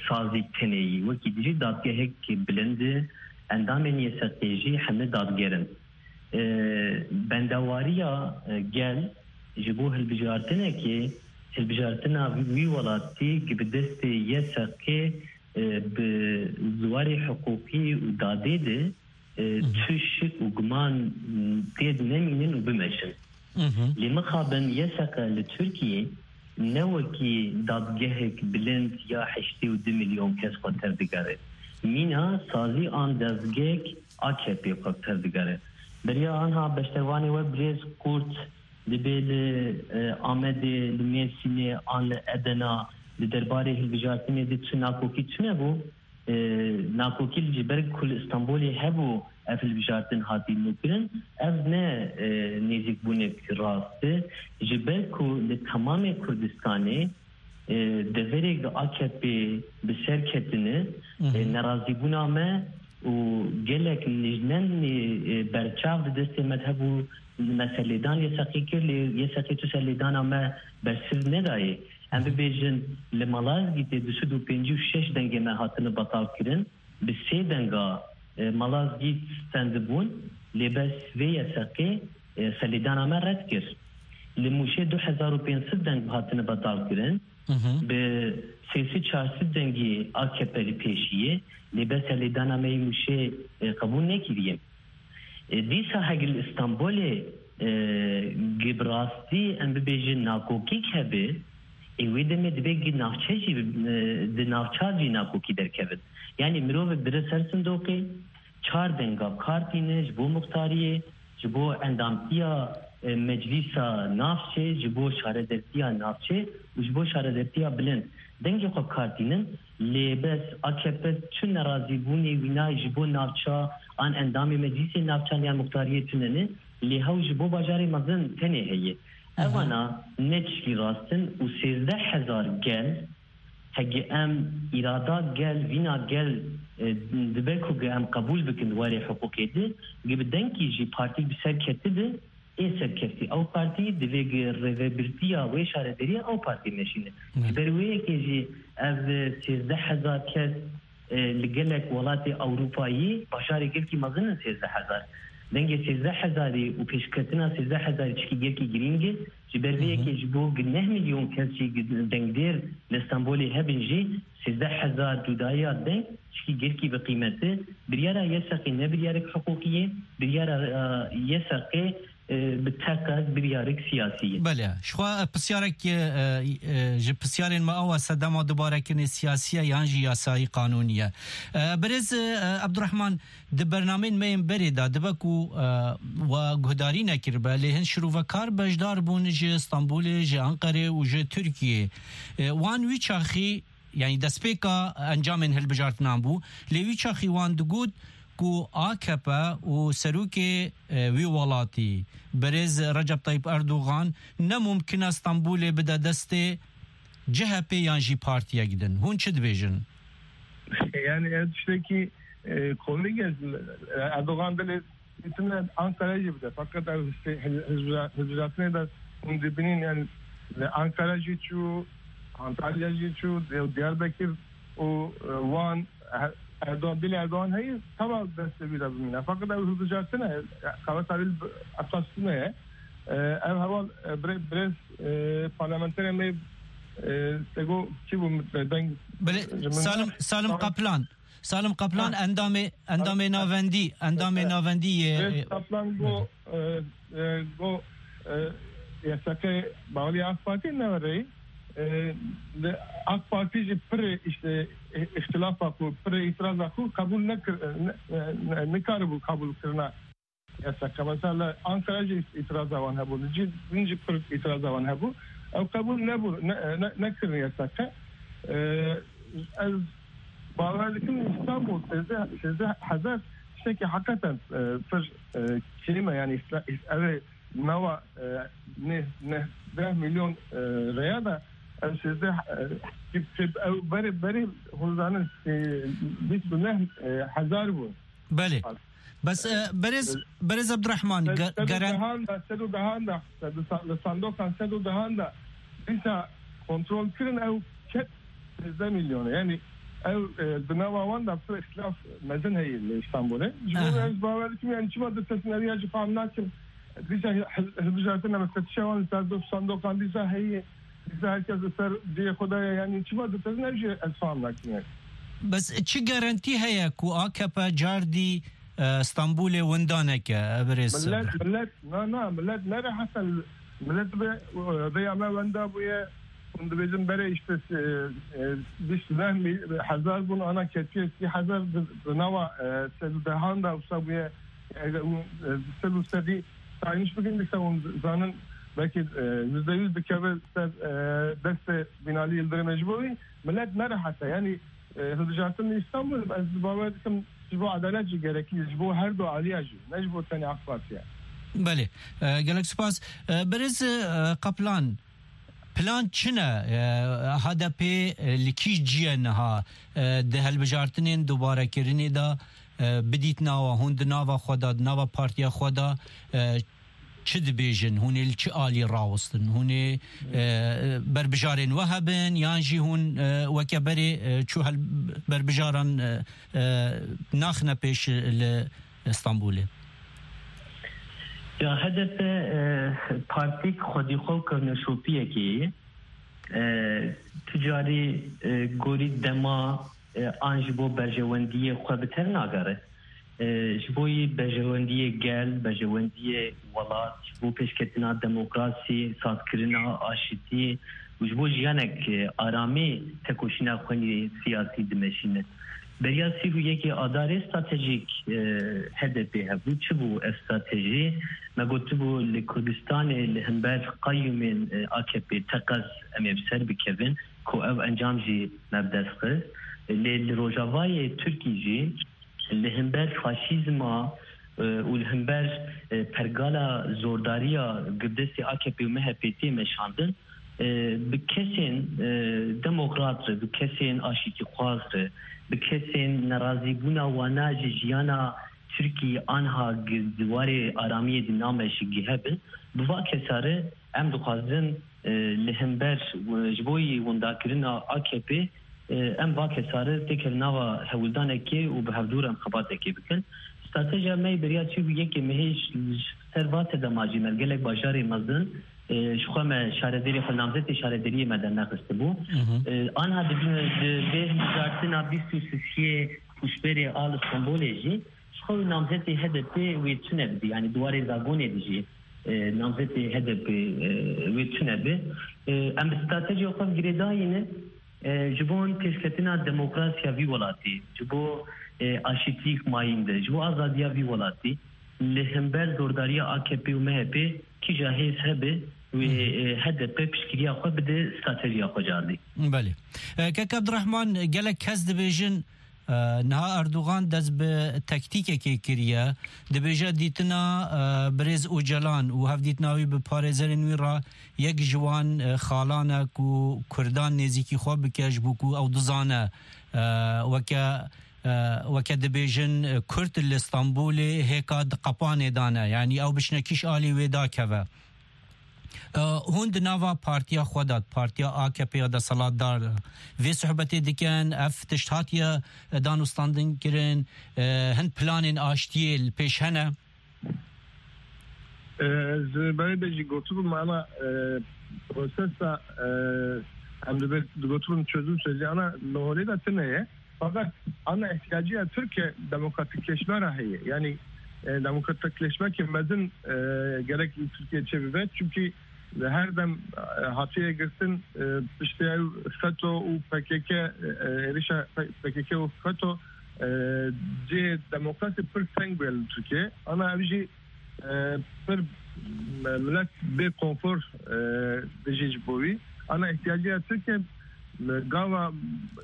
sazî tenê yî, wekî dijî dadgehek bilind e, endamên Y S Q jî hemî dadger in. E, bendewariya, e, gel ji bo hilbijartinekê, hilbijartina wî welatî ki bi destê Y S Q, e, bi ziwarê hiqûqî û dadê de, e, Hı hı. tu şik û guman, m, tê nemînin û bimeşin. Hı hı. Lê mixabin Y S Q li Tirkiyê ne wekî dadgehek bilind ya heştê û du milyon kes xwe tevdigere. Mîna sazî an dezgehek A K P xwe tevdigere. Beriya anha beşdervanê we birêz Kurt dibê li, e, Amedê, li Mêrsînê an li Edena di derbarê hilbijartinê de çi nakokî çi nebû? E, nakokî ji ber ku li Stenbolê hebû ev hilbijartin hatî nûkirin, ev ne, e, nêzîkbûnek rast e. Ji ber ku li temamê Kurdistanê, e, deverê A K P bi ser ketine, Hı hı. e, nerazîbûna me û gelek nijnenê, e, berçav di destê me de hebû, me serlêdan Y S Qê kir, lê Y S Qê tu serlêdana me bersiv nedayê. Em bibêjin, li Malazgîtê du sed û pêncî û şeş dengê me hatine betal kirin, bi sê denga, e, Malazgît stendibûn, lê bes vê Y S Qê, e, serlêdana me red kir. Li Mûşê du hezar û pênc sed deng hatine betal kirin, Hı hı. bi sê sed çar sed dengî A K P li pêşiyê, lê bes serlêdana me yê Mûşê, e, qebûl nekiriye. E, dîsa hegî li Îstanbulê, e, gi bi rastî em bibêjin nakokîk hebe, ê wê demê dibe gi navçe jî, e, di navçal jî nakokî derkevin. Yanî mirov dire ser sindoqê, çar denga kar tîne ji bo muxtariyê, ji bo endamtiya, e, meclîsa navçê, ji bo şaredertiya navçê û ji bo şaredertiya bilind dengê xwe bi kar tînin. Lê bes A K P çi nerazîbûnê wî nayê ji bo navça an endamê meclîsê navçan yan muxtariyê tune ne, lê hew ji bo bajarê mezin tenê heye. Evana ne tişkî rast in û sêzdeh hezar gel, hegi em îrada gel, vîna gel, e, dibe ku em qebûl bikin di warê hiqûqê de, gi bi dengkî jî partîk bi ser ketibi, ê serkeftî ew partî divê gi rêvebirtiya wê şarederiya ew partî meşîne. Ji ber wê yekê jî ev sêzdeh hezar kes, e, li gelek welatê Ewropayî bajarê gelkî mezin in sêzdeh hezar. Dengê sêzdeh hezarî û pêşketina sêzdeh hezarî çikî gelkî girîng e. Ji ber vê yekê ji bo gi neh milyon kes jî gi dengdêr li Stenbolê hebin jî sêzdeh hezar cudayiya deng çikî gelkî bi qîmet e. Biryara YSQ'ê ne biryarek hiqûqî ye. Biryara, e, YSQ'ê e, bi teqez biryarek siyasî ye. Belê, ji xwe, e, pisyarek, e, e, ji pisyarên me awa sedema dubarekirinê siyasî ye yan jî yasayî qanûnî ye. E, birêz, e, Ebdurrehman, di bernameyên me yên berê de dibe ku, e, we guhdarî nekiribe, lê hin şirovekar beşdar bûn ji Stenbolê, ji Enqerê û ji Tirkiyê. E, wan wî çaxî, yanî destpêka encamên hilbijartinan bû, lê wî çaxî wan digot ku A K P û serokê, e, wî welatî, birêz Recep Tayyip Erdogan, ne mumkin e Stenbolê bide destê C H P yan jî partiyek din. Hûn çi dibêjin? Yani ev tiştekî, e, komik e. Erdogan dilê dîtine Ankara jî bide. Fakat ev hizb-, hizb-, hizbijatinê de hûn dibînin, yani, li Ankara jî çû, Antalya jî çû, Diyarbekir û, e, Wan, e, Erdogan, dilê Erdogan heye, teva destê wî de bimîne. Fakat ew hilbijartin e, qeweta wî li esas tune ye. E, ev heval, e, bire-, birêz, e, parlamenterê me, e, Sego kî bû, e, deng Belê, ji min Salim, re. Salim Salim Kaplan. Salim Kaplan, Ha. endamê, endamê Ha. navendî, endamê Ha. navendî yê, Birêz e, Kaplan got, e, e, got, e, YSK bağlı AK Parti ne var? E, de AK Parti jî pir işte, e, ihtilafa ku, pir îtiraza ku kabul nekir, e, ne, ne, ne, nikaribû kabul kirina YSK. Mesela Ankara jî îtiraza wan hebû. Li cî din jî pir îtiraza wan hebû. Ew qebûl nebû, ne, ne, nekirin YSK. E, ez bawer dikim Îstanbul sêzdeh, sêzdeh hezar tiştekî heqeten, e, pir, e, kêm e, yani îsla-, îs-, ev ê nava, e, ne, ne, deh milyon, e, rêya de ev sêzdeh, e, tip, tip, ew berê, berê hûn zanin, e, bîst û neh, e, hezar bû. Belê. Bes, e, berêz, berêz Abdurrahman, Sed-, ge-, sed û geren- dehan de, sed û dehan de, sed û sa-, li sandokan sed û dehan de dîsa kontrol kirin, ew ket sêzdeh milyon e. Yani ew, e, di nava wan de pir îxtilaf mezin heye li Îstanbulê. Ji bo Aha. ez bawer dikim, yani çima ditesin, ev ya jî fam nakim. Dîsa hi-, hi-, hilbijartin, em fetişa wan li ser doh sandokan dîsa heye. Dîsa herkes li ser cihê xwe de ye, yani çima ditesin, ev jî ez fam nakim yani. Bes çi garantî heye ku A K P cardî, e, Stenbolê winda neke, e, birêz Millet, Abdurrahman? Millet, na, na, millet ne rehet e, millet bi, e, vêya me wenda bûye, hûn dibêjin berê işte, e, e, bîst hezar bûn, ana ketiye sî hezar di, di nava, e, sed û dehan de wisa bûye, e, e, sed û sedî saymış bikin, dîsa hûn zanin belkî, e, yüzde yüz dikeve ser, e, destê Binali Yıldırımê. Ji bo wî millet ne rehet e. Yani, e, hilbijartin li Îstanbul, ez bawer dikim ji bo edalet jî gerekî, ji bo her du aliya jî, ne ji bo tenê AK Partiye. Belê. E, gelek spas. E, birêz, e, Kaplan, plan çi ne? E, H D P, e, li kî cî ye niha? E, di hilbijartinên dubarekirinê de, e, bidît nawa hûn di nava xwe de, di nava partiya xwe de, e, çi dibêjin? Hûn ê li çi alî rawestin? Hûn ê, e, berbijarên we hebin yan jî hûn, e, weke berê, e, çû hel-, berbijaran, e, e, naxine pêş li Stenbolê? Ya H D P, e, partîk xwedî xwe û kevneşopiyekê ye. E, tu carî, e, gorî dema, e, an ji bo berjewendiyê xwe bi tev nagere. E, ji bo yî berjewendiyê gel, berjewendiyê welat, ji bo pêşketina demokrasî, sazkirina aşitiyê û ji bo jiyanek, e, aramî tekoşîna xwe yê siyasî dimeşîne. Beriya sî û yekê Adarê stratejîk, e, H D P hebû. Çi bû ev stratejî? Me gotibû li Kurdistanê li hember qeyûmên, e, A K P teqez em ê bi ser bikevin, ku ev encam jî me bi dest xist. Lê li Rojavayê Tirkî jî li hember faşîzma, e, û li hember, e, pergala zordariya girdestê A K P û M H P tê meşandin, e, bi kesên, e, demokrat re, bi kesên aşîtîxwaz re, bi kesên nerazîbûna wana ji jiyana Tirkî anha gi-, di warê aramiyê di name ji gihe bin, bi va kesa re em dixwazin, e, li hember, e, ji bo yî windakirina A K P, e, em va kesa re têkevin nava hewldanekê û bi hevdû re em xebatekê bikin. Stratejiya me yê beriya çî bû yekê mehê ji, ji ser va sedema jî me li gelek bajarê mezin, e, ji xwe me şaredarê xwe, namzetê şaredariyê me dernexistibû. E, anha di, di vê hilbijartina bîst û sisiyê Pûşberê a li Stenbolê jî ji xwe namzetê H D P wê tune bidî. Yanî di warê zagonê de jî, e, namzetê H D P, e, wê tune be. E, em bi stratejiya xwe girêdayî ne, e, ji bo pêşketina demokrasiya vî welatî, ji bo, e, aşîtîk mayîn de, ji bo azadiya vî welatî, li hember zordariya A K P û M H P kîja hêz hebe, wê, e, H D P piştgiriya xwe bide stratejiya xwe cardî. Belê. E, Kek Abdurrahman, gelek kes dibêjin, e, niha Erdogan dest bi tektîkekê kiriye. Dibêje dîtina, e, birêz Ocalan û hevdîtina wî bi parêzerên wî re yek ji wan, e, xalan e ku Kurdan nêzîkî xwe bike, ji bo ku ew dizane, e, weke, e, weke dibêjin, e, Kurd li Stenbolê hêka di qepanê de ne. Yanî ew biçine kîş alî wê dakeve. E, hûn di nava partiya xwe de, partiya A K P ya desthilatdar, vê sohbetê dikin, ev tişt hatiye danûstandin kirin, e, hin planên aştiyê li pêş hene? E, ez berê de jî gotibûm, ana, e, prosesa, e, em dibê digotibûn çözüm süreci, ana li holê de tune ye. Fakat ana ihtiyacı ya Türkiye demokratikleşme ra heye. Yani, e, demokratikleşmekê mezin, e, gerek li Türkiye çêbibe. Çünkü her dem, e, hatiye girtin, e, piştî ew FETÖ û P K K, e, êrişa P K K û FETÖ, e, cihê demokrasî pir teng bûye li Türkiye. Ana ev jî, e, pir, e, milet bê konfor, e, dijî ji bo wî. Ana ihtiyacı ya Türkiye, e, gava,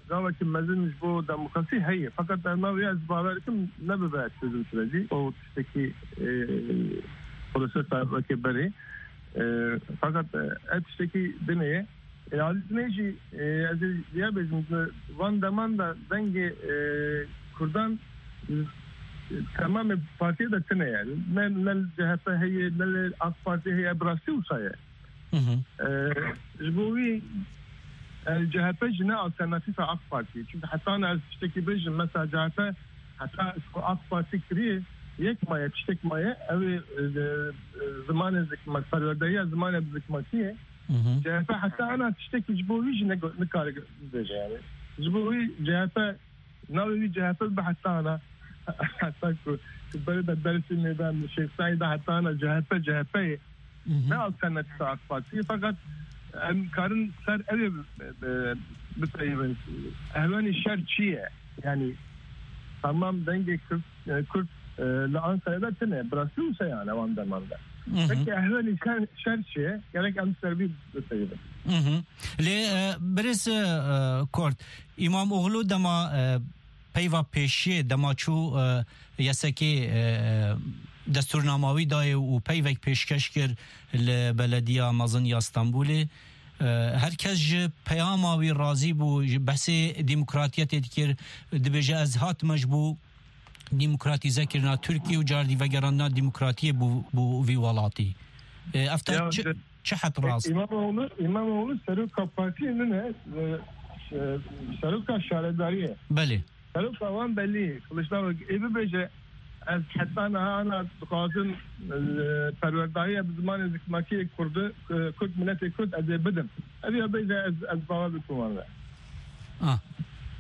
gavekî mezin ji bo demokrasî heye. Fakat ev navê ez bawer dikim nebibe çözüm süreci. O tiştekî, e, prosesa weke berê. E, fakat, e, ev tiştekî dinê ye. E, alî dinê jî, e, ez ê diya bêjim, van deman de dengê, e, Kurdan, e, temamê partiyê de tune ye. Ne, ne li C H P heye, ne li AK Parti heye, bi rastî wisa ye. E, ji bo wî, e, C H P jî ne alternatîfa AK Partî. Çünkü heta ne ez tiştekî bêjim, mesela C H P heta ji ku AK Parti kiriye, yek maye, tiştek maye, ew ê, e, e, zimanê zikmak, perwerdehiya zimanê zikmakî ye. C H P heta ana tiştekî ji bo wî jî nego-, nikare bibêje yani. Ji bo wî C H P navê wî C H P bi heta ana, heta ku, ku berê de Dersimê de, Şêx Seîd de heta ana C H P, C H P ye. Ne alternatîfa AK Partî ye, fakat em karin ser ew ê bi, bi, bipeyivin. Ehwenî şer çi ye? Yani tamam dengê Kurd, e, Kurd, e, li Ankara'da tine, bi rastî wisa yani wan deman de. Peki ehwenî şer, şer çi ye? Gerek em ser vî bipeyivin. Lê, e, birêz, e, Kort, Îmamoğlu dema, e, peyva pêşiyê dema çû, e, yesekê, e, destûrnama wî dayê û peyvek pêşkeş kir li Belediya Mezin ya Stenbolê. E, her kes ji peyama wî razî bû, ji behsê demokratiyetê dikir, dibêje, ez hatime ji bo demokratîzekirina Tirkiye û cardî vegerandina demokratiyê bo, bo vî welatî. E, ev te Ya, çi, de- çi het rast? İmamoğlu, İmamoğlu seroka partiyê nine, e, e, seroka şaredariyê. Belê. Seroka wan belî, Kılıçdaroğlu ê bibêje, ez heta niha ana dixwazim, e, perwerdahiya bi zimanê zikmakiyê Kurdi, e, Kurd, miletê Kurd ez ê bidim. Ev ya bêje ez, ez bawer dikim wan re. Ah,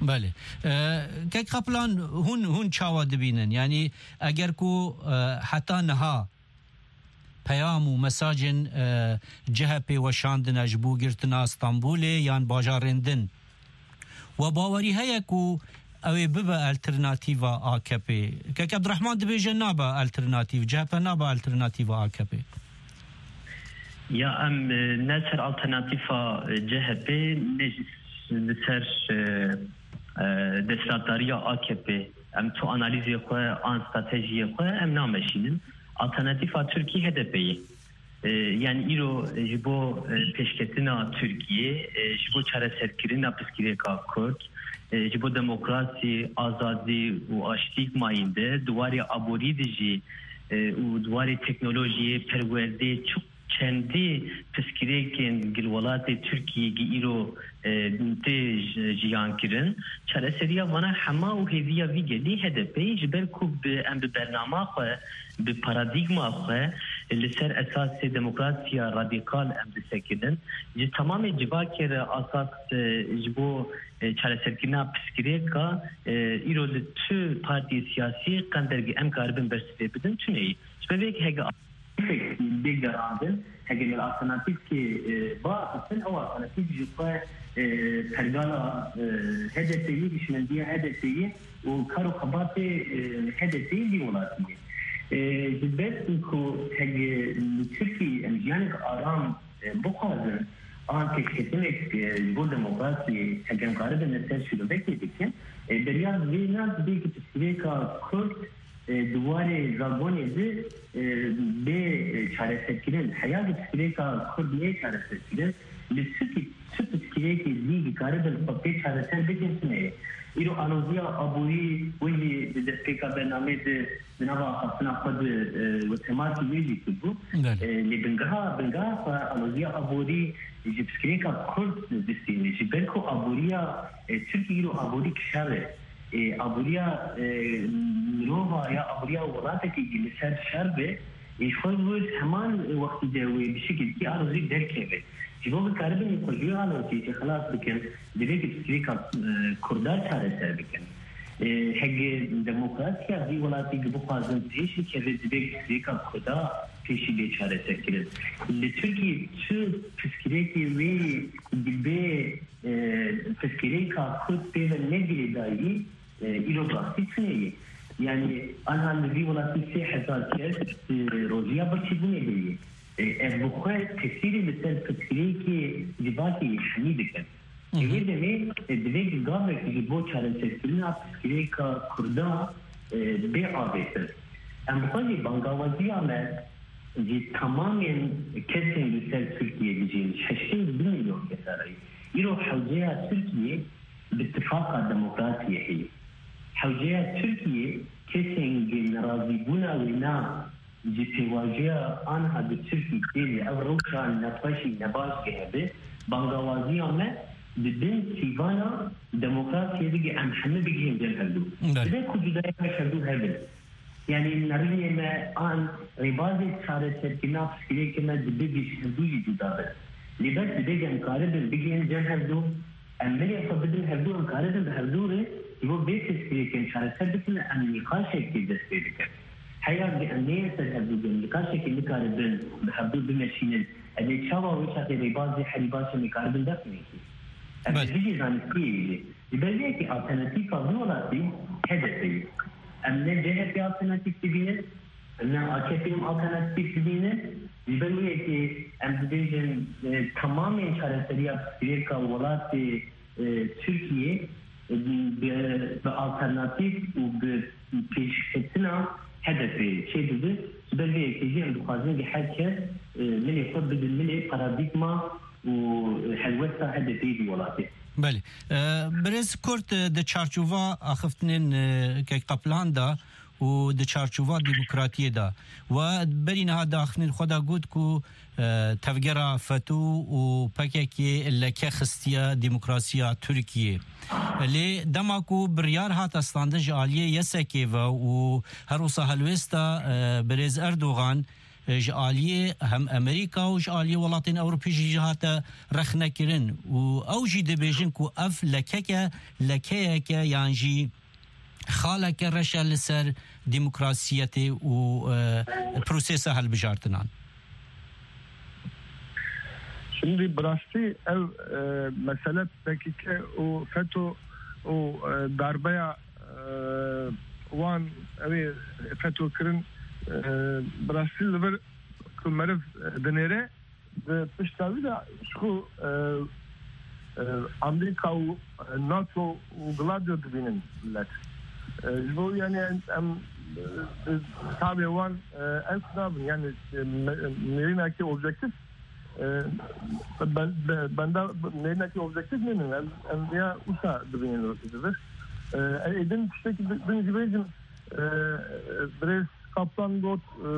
belê. E, Kek Kaplan, hûn, hûn çawa dibînin? Yani eger ku, e, heta niha peyam û mesajên, e, C H P weşandine ji bo girtina Stenbolê yan bajarên din. We bawerî heye ku Ew ê bibe alternatîva A K P. Kek Abdurrahman dibêje nabe alternatîv, C H P nabe alternatîva A K P. Ya em, e, ne ser alternatîfa, e, C H P, ne jî li ser, e, e, desthilatdariya A K P. Em tu analîzê xwe an stratejiyê xwe em nameşînin. Alternatîfa Tirkî H D P ye. E, yani îro ji bo, e, pêşketina Tirkiyê, e, ji bo çareserkirina pirsgirêka Kurd, e, ji bo demokrasî, azadî û aştî mayînde, di warê aborî de jî, e, û di warê teknolojiyê, perwerdê, çi-, çendî pirsgirêkên gil welatê Tirkiyê gi îro, e, tê ji-, jiyan kirin. Çareseriya vana hema û hêviya vî gelî H D P ye, ji ber ku bi, em bi bernama xwe, bi paradîgma xwe li ser esasê demokrasiya radîkal em disekinin. Ji temamê civakê re asas, e, ji bo, e, çareserkirina pirsgirêka, e, îro li tu partiyê siyasî qendergî em karibin bersivê bidin, tune ye. Ji ber vê yekê hege bê gerandin, hege li alternatîfkê, e, biaxiftin, ew alternatîf ji xwe, e, pergala, e, H D P'yê, hişmendiya H D P'yê û kar û xebatê, e, H D P'yê vî welatî ye. E, ji ber ku hege li Tirkiyê em jiyanek aram, e, bixwazin, an pêşketinek, e, ji bo demokrasiyê hege em karibin li ser şîrovekê bikin, e, beriya vê ne divê ku pirsgirêka Kurd e, di warê zagonê de, e, bê, e, çareserkirin. Heya ku pirsgirêka Kurd neyê çareserkirin, li çi, çi pirsgirêkê dî dikaribin xwe pê çareser bikin, tune ye. Îro aloziya aborî, wê jî di destpêka bernameyê de di nava axaftina xwe de, e, we temasî wê jî kiribû. Belê. E, lê bingeha, bingeha xwe aloziya aborî ji pirsgirêka Kurd distîne. Ji ber ku aboriya, e, Tirkiyê îro aborî şer e. E, aboriya, e, mirova ya aboriya welatekî li ser şer be, e, ji xwe ji wir heman wextî de wê bi şekilkî arozî derkeve. Ji bo bikaribin xwe ji wê aloziyê jî xilas bikin, divê ku pirsgirêka, e, Kurda çareser bikin. E, hege demokrasiya vî welatî ku bixwazin pêş bikeve, divê ku pirsgirêka Kurda pêşî bê çareserkirin. Li Tirkiyê çi pirsgirêkê wê yê ku bê e, pirsgirêka Kurd pê ve ne girêdayî, e, îro rastî tune ye. Yani, anha li vî welatî sê hezar kes, e, rojiya birçîbûnê heye. E, ev bi xwe tesîrê li ser pirsgirêkê civakê yê hemî dikin. Hı hı. Wê demê, e, divê gavek ji bo çareserkirina pirsgirêka Kurda, e, bê avêtin. Em bi xwe jî bangawaziya me ji temamên kesên li ser Tirkiye dijîn, ji heştê û du milyon kesa re ye. Îro hewceya Tirkiye bi tifaqa demokrasiyê heye. Hewceya Tirkiye kesên ku nerazîbûna wêna ji pêvajoya anha di Tirkiyê tê, ev rewşa nexweş û nebaş hebe, bangawaziya me di bin sîvana demokrasiyê de em hemî bigihên cem hevdû. Belê. Divê ku cudayî me hevdû hebin. Yani nerînê me an rêbazê çareserkirina pirsgirêkê me dibe bi ji hevdû jî cuda be. Lê bes divê em karibin bigihên cem hevdû, em milê xwe bidin hevdû, em karibin bi hevdû re ji bo vê pirsgirêkên çareser bikin, em nîqaşekê dest pê bikin. Heya ku em neyên ser hevdû bin, nîqaşekê nikaribin bi hevdû bimeşînin, em ê çawa wê çaxê rêbazê herî baş em ê karibin dest pê bikin? Em ê bijî zanistiyê jî. Ji ber vê yekê alternatîfa vî welatî H D P ye. Em ne C H P alternatîf dibînin, em ne A K P alternatîf dibînin. Ji ber wê yekê em dibêjin, e, temamên çareseriya pirsgirêka welatê, e, Tirkiyê, e, bi, bi alternatîf û bi pêşketina H D P çêdibe. Ji ber vê yekê jî em dixwazin ki her kes, e, milê xwe bidin milê paradîgma û helwesta H D P'yê di welatê. Belê. E, Birêz Kurt, e, di çarçova axiftinên, e, Kek Qaplan de û di çarçova demokratiyê de we berî niha di axiftinên xwe de got ku, e, tevgera FETÖ û P K K leke xistiye demokrasiya Tirkiyê. Lê dema ku biryar hate standin ji aliyê YSK'ê ve û her wisa helwêsta, e, Birêz Erdogan, e, ji aliyê hem Amerîka û ji aliyê welatên Ewropî jî hate rexnekirin û ew jî dibêjin ku ev lekeke, lekeyeke yan jî xaleke reş e li ser demokrasiyetê û, e, prosesa hilbijartinan. Şimdi bi rastî ev, e, mesele P K K û FETÖ û, e, darbeya, e, wan ew ê fetokirin, e, bi rastî li vir ku meriv, e, dinêre, di pişta wî de ji xwe, e, e, Amerîka û, e, NATO û Gladio dibînin millet. E, ji bo, yanî, em, em, e, di tabê wan, e, ew nabin, yanî, e, me-, nêrînekî objektîf, e, ben-, be-, benda nêrînekî objektîf nînin. Em, em ya wisa dibînin li vir. E, êdin tiştekî din jî bêjim, e, birêz Kaplan got, e,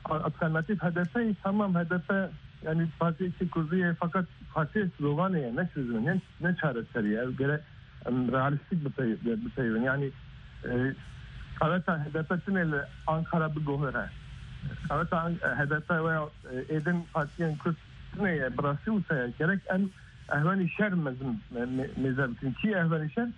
alternatîf H D P, tamam, H D P, yanî, partiyekî kurdî ye, fakat partiyê sloganê ye, ne çözümü, ne, ne çareserî ye. Ev gere em realîstîk bipey-, bipeyivin. Yanî, e, qeweta H D P tune li Ankara biguhere. Qeweta An-, H D P veya, e, êdin partiyên kurd tune ye, bi rastî wisa ye. Gerek em ehvenî şer mezin, me-, me-, mêze bikin. Kî ehvenî şer?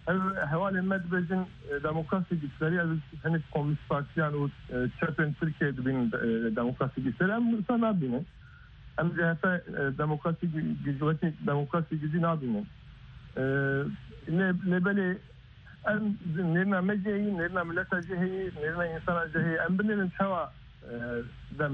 Ev hevalên me dibêjin, e, demokrasî güçleri, ev hinek Komünîst Partiyan û, e, çepên Tirkiyeyê dibînin, e, demokrasî güçleri. Em wisa nabînin. Em C H P, e, demokrasî gü-, gücü, wekî demokrasî gücü nabînin. E, lê, lê belê em nêrîna me jî heyî, nêrîna mileta jî heyî, nêrîna însana jî heyî. Em binêrin çawa, e, dem,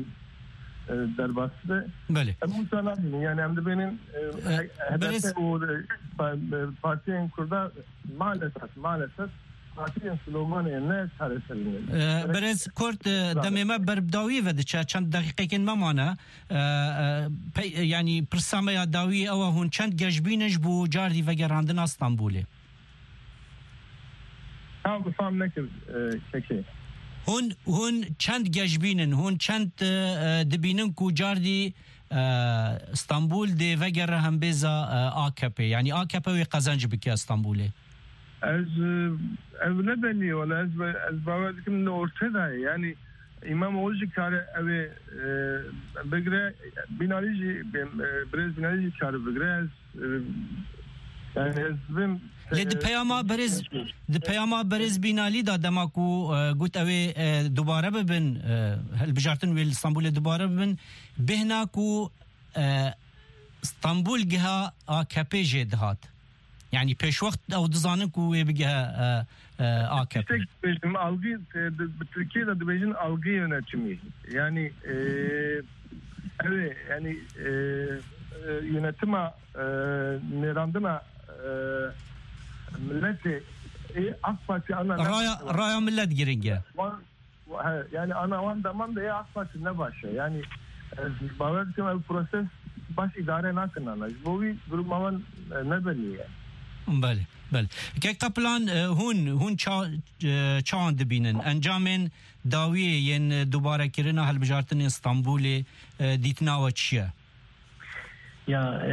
e, derbas be. Belê. Em wisa nabînin. Yanî em dibênin, e, E, H D P berêz û, e, pa-, e, partiyên Kurda maalesef, maalesef partiyên sloganê ne çareserî ne. E, Berêz Kurt, e, demê me ber bi dawiyê ve diçe. Çend deqîqekên me mane. E, e, pey-, yanî pirsa me ya dawiyê ew e, hûn çend geşbîn in ji bo cardî vegerandina Stenbolê? Tam fam nekir, e, kekê. Hûn, hûn çend geşbîn in? Hûn çend, e, e, dibînin ku cardî, e, Stenbol dê vegere hembêza, e, A K P? Yanî A K P wê qezenc bike Stenbolê? Ez, e, ev ne belî ye, wala ez be-, ez bawer dikim ne ortê de ye. Yanî, İmamoğlu jî kare ew ê, e, bigire, Binalî jî, e, birêz Binalî jî kare bigire. Ez, e, yanî ez bim, Lê di e, peyama berêz, di peyama berêz Binalî de dema ku, e, got ew ê, e, dubare bibin, e, hilbijartin wê li Stenbolê dubare bibin, bêhna ku, e, Stenbol giha A K P jê dihat. Yanî pêşwext ew dizanin ku wê bigihe, e, e, A K P. Tiştek dibêjim, algı, e, di, bi Tirkiyê de dibêjin algı yönetimi. Yanî, e, ew ê, yanî, e, e, yönetima, e, nêrandina, e, milletê, e, A K Parti ana Raya, raya millet giring e. Wan He, yani ana wan deman de ya AK Parti ne baş e. Yani ez bawer dikim ev proses baş îdare nakin ana. Ji bo wî duruma wan, e, ne belî ye. Belê, belê. Kek Kaplan, e, hûn, hûn ça-, e, çawan dibînin? Encamên dawiyê yên, e, dubarekirina hilbijartinên Stenbolê, e, dîtina we çi ye? Ya, e,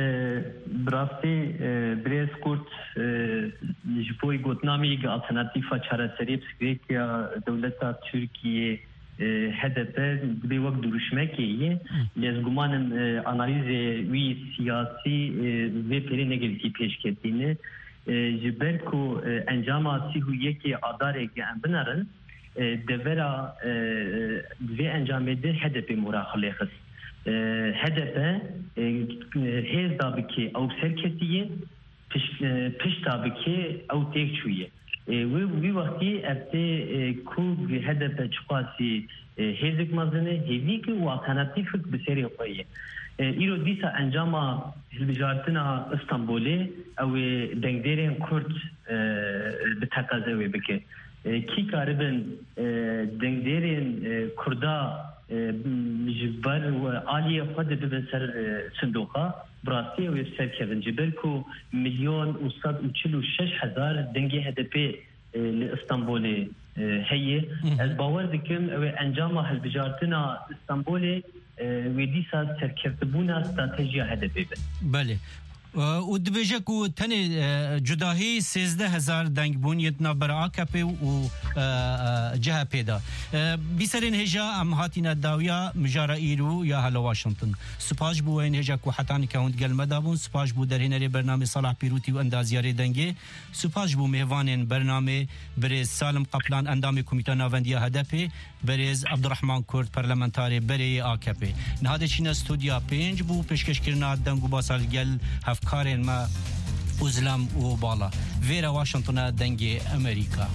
bi rastî, e, birêz Kurt, e, ji bo gotina me yek alternatîfa çareseriyê psîkolojîk ya dewleta Tirkiyê, e, H D P, dibê wek duruşmekê ye. Hı. Lê ez guman im, e, analîzê wî siyasî, e, vê pêrê ne gelekî pêşketî ne. E, ji ber ku, e, encama sî û yekê Adarê em binerin, e, devera, e, e, vê encamê de H D P mora xwe lê xist. E, H D P, e, hêz da bikê ew serketiye, piş-, e, pişta bikê ew têk çûye. E, wê, wî wextî ev tê, e, ku H D P çiqasî, e, hêzik mezin e, hêvîk e û alternatîfik bi serê xwe ye. E, îro dîsa encama hilbijartina Stenbolê, ew ê dengdêrên Kurd, e, bi teqeze wê bike. E, kî karibin, e, dengdêrên, e, Kurda, e, ji ber aliyê xwe de bibin ser, e, sindoqa, bi rastî ew ê serkevin. Ji ber ku milyon û sed û çil û şeş hezar dengê H D P, e, li Stenbolê, e, heye. Hı hı. Ez bawer dikim ew ê encama hilbijartina Stenbolê, e, wê dîsa serkevtibûna stratejiya H D P be. Belê. E, û dibêje ku tenê, e, cudahî sêzdeh hezar deng bûn yên navbera A K P û, e, e, C H P de. E, bîserên hêja em hatîne dawiya mijara îro ya Hello Washington. Spas ji bo we yên hêja ku heta nika hûn digel me de bûn. Spas ji bo derhênerê bernamê Salah Pîrûtî û endaziyarê dengê. Spas ji bo mêvanên bernamê, birêz Salim Kaplan, endamê Komîta Navendiya H D P, birêz Abdurrahman Kurd, parlamentarê berê yê A K P. Niha diçîne stûdya pênc bo pêşkêşkirina deng û basa li gel hevkarên me. Û zilam û bala. Vêre Washington e, Dengê Amerîka.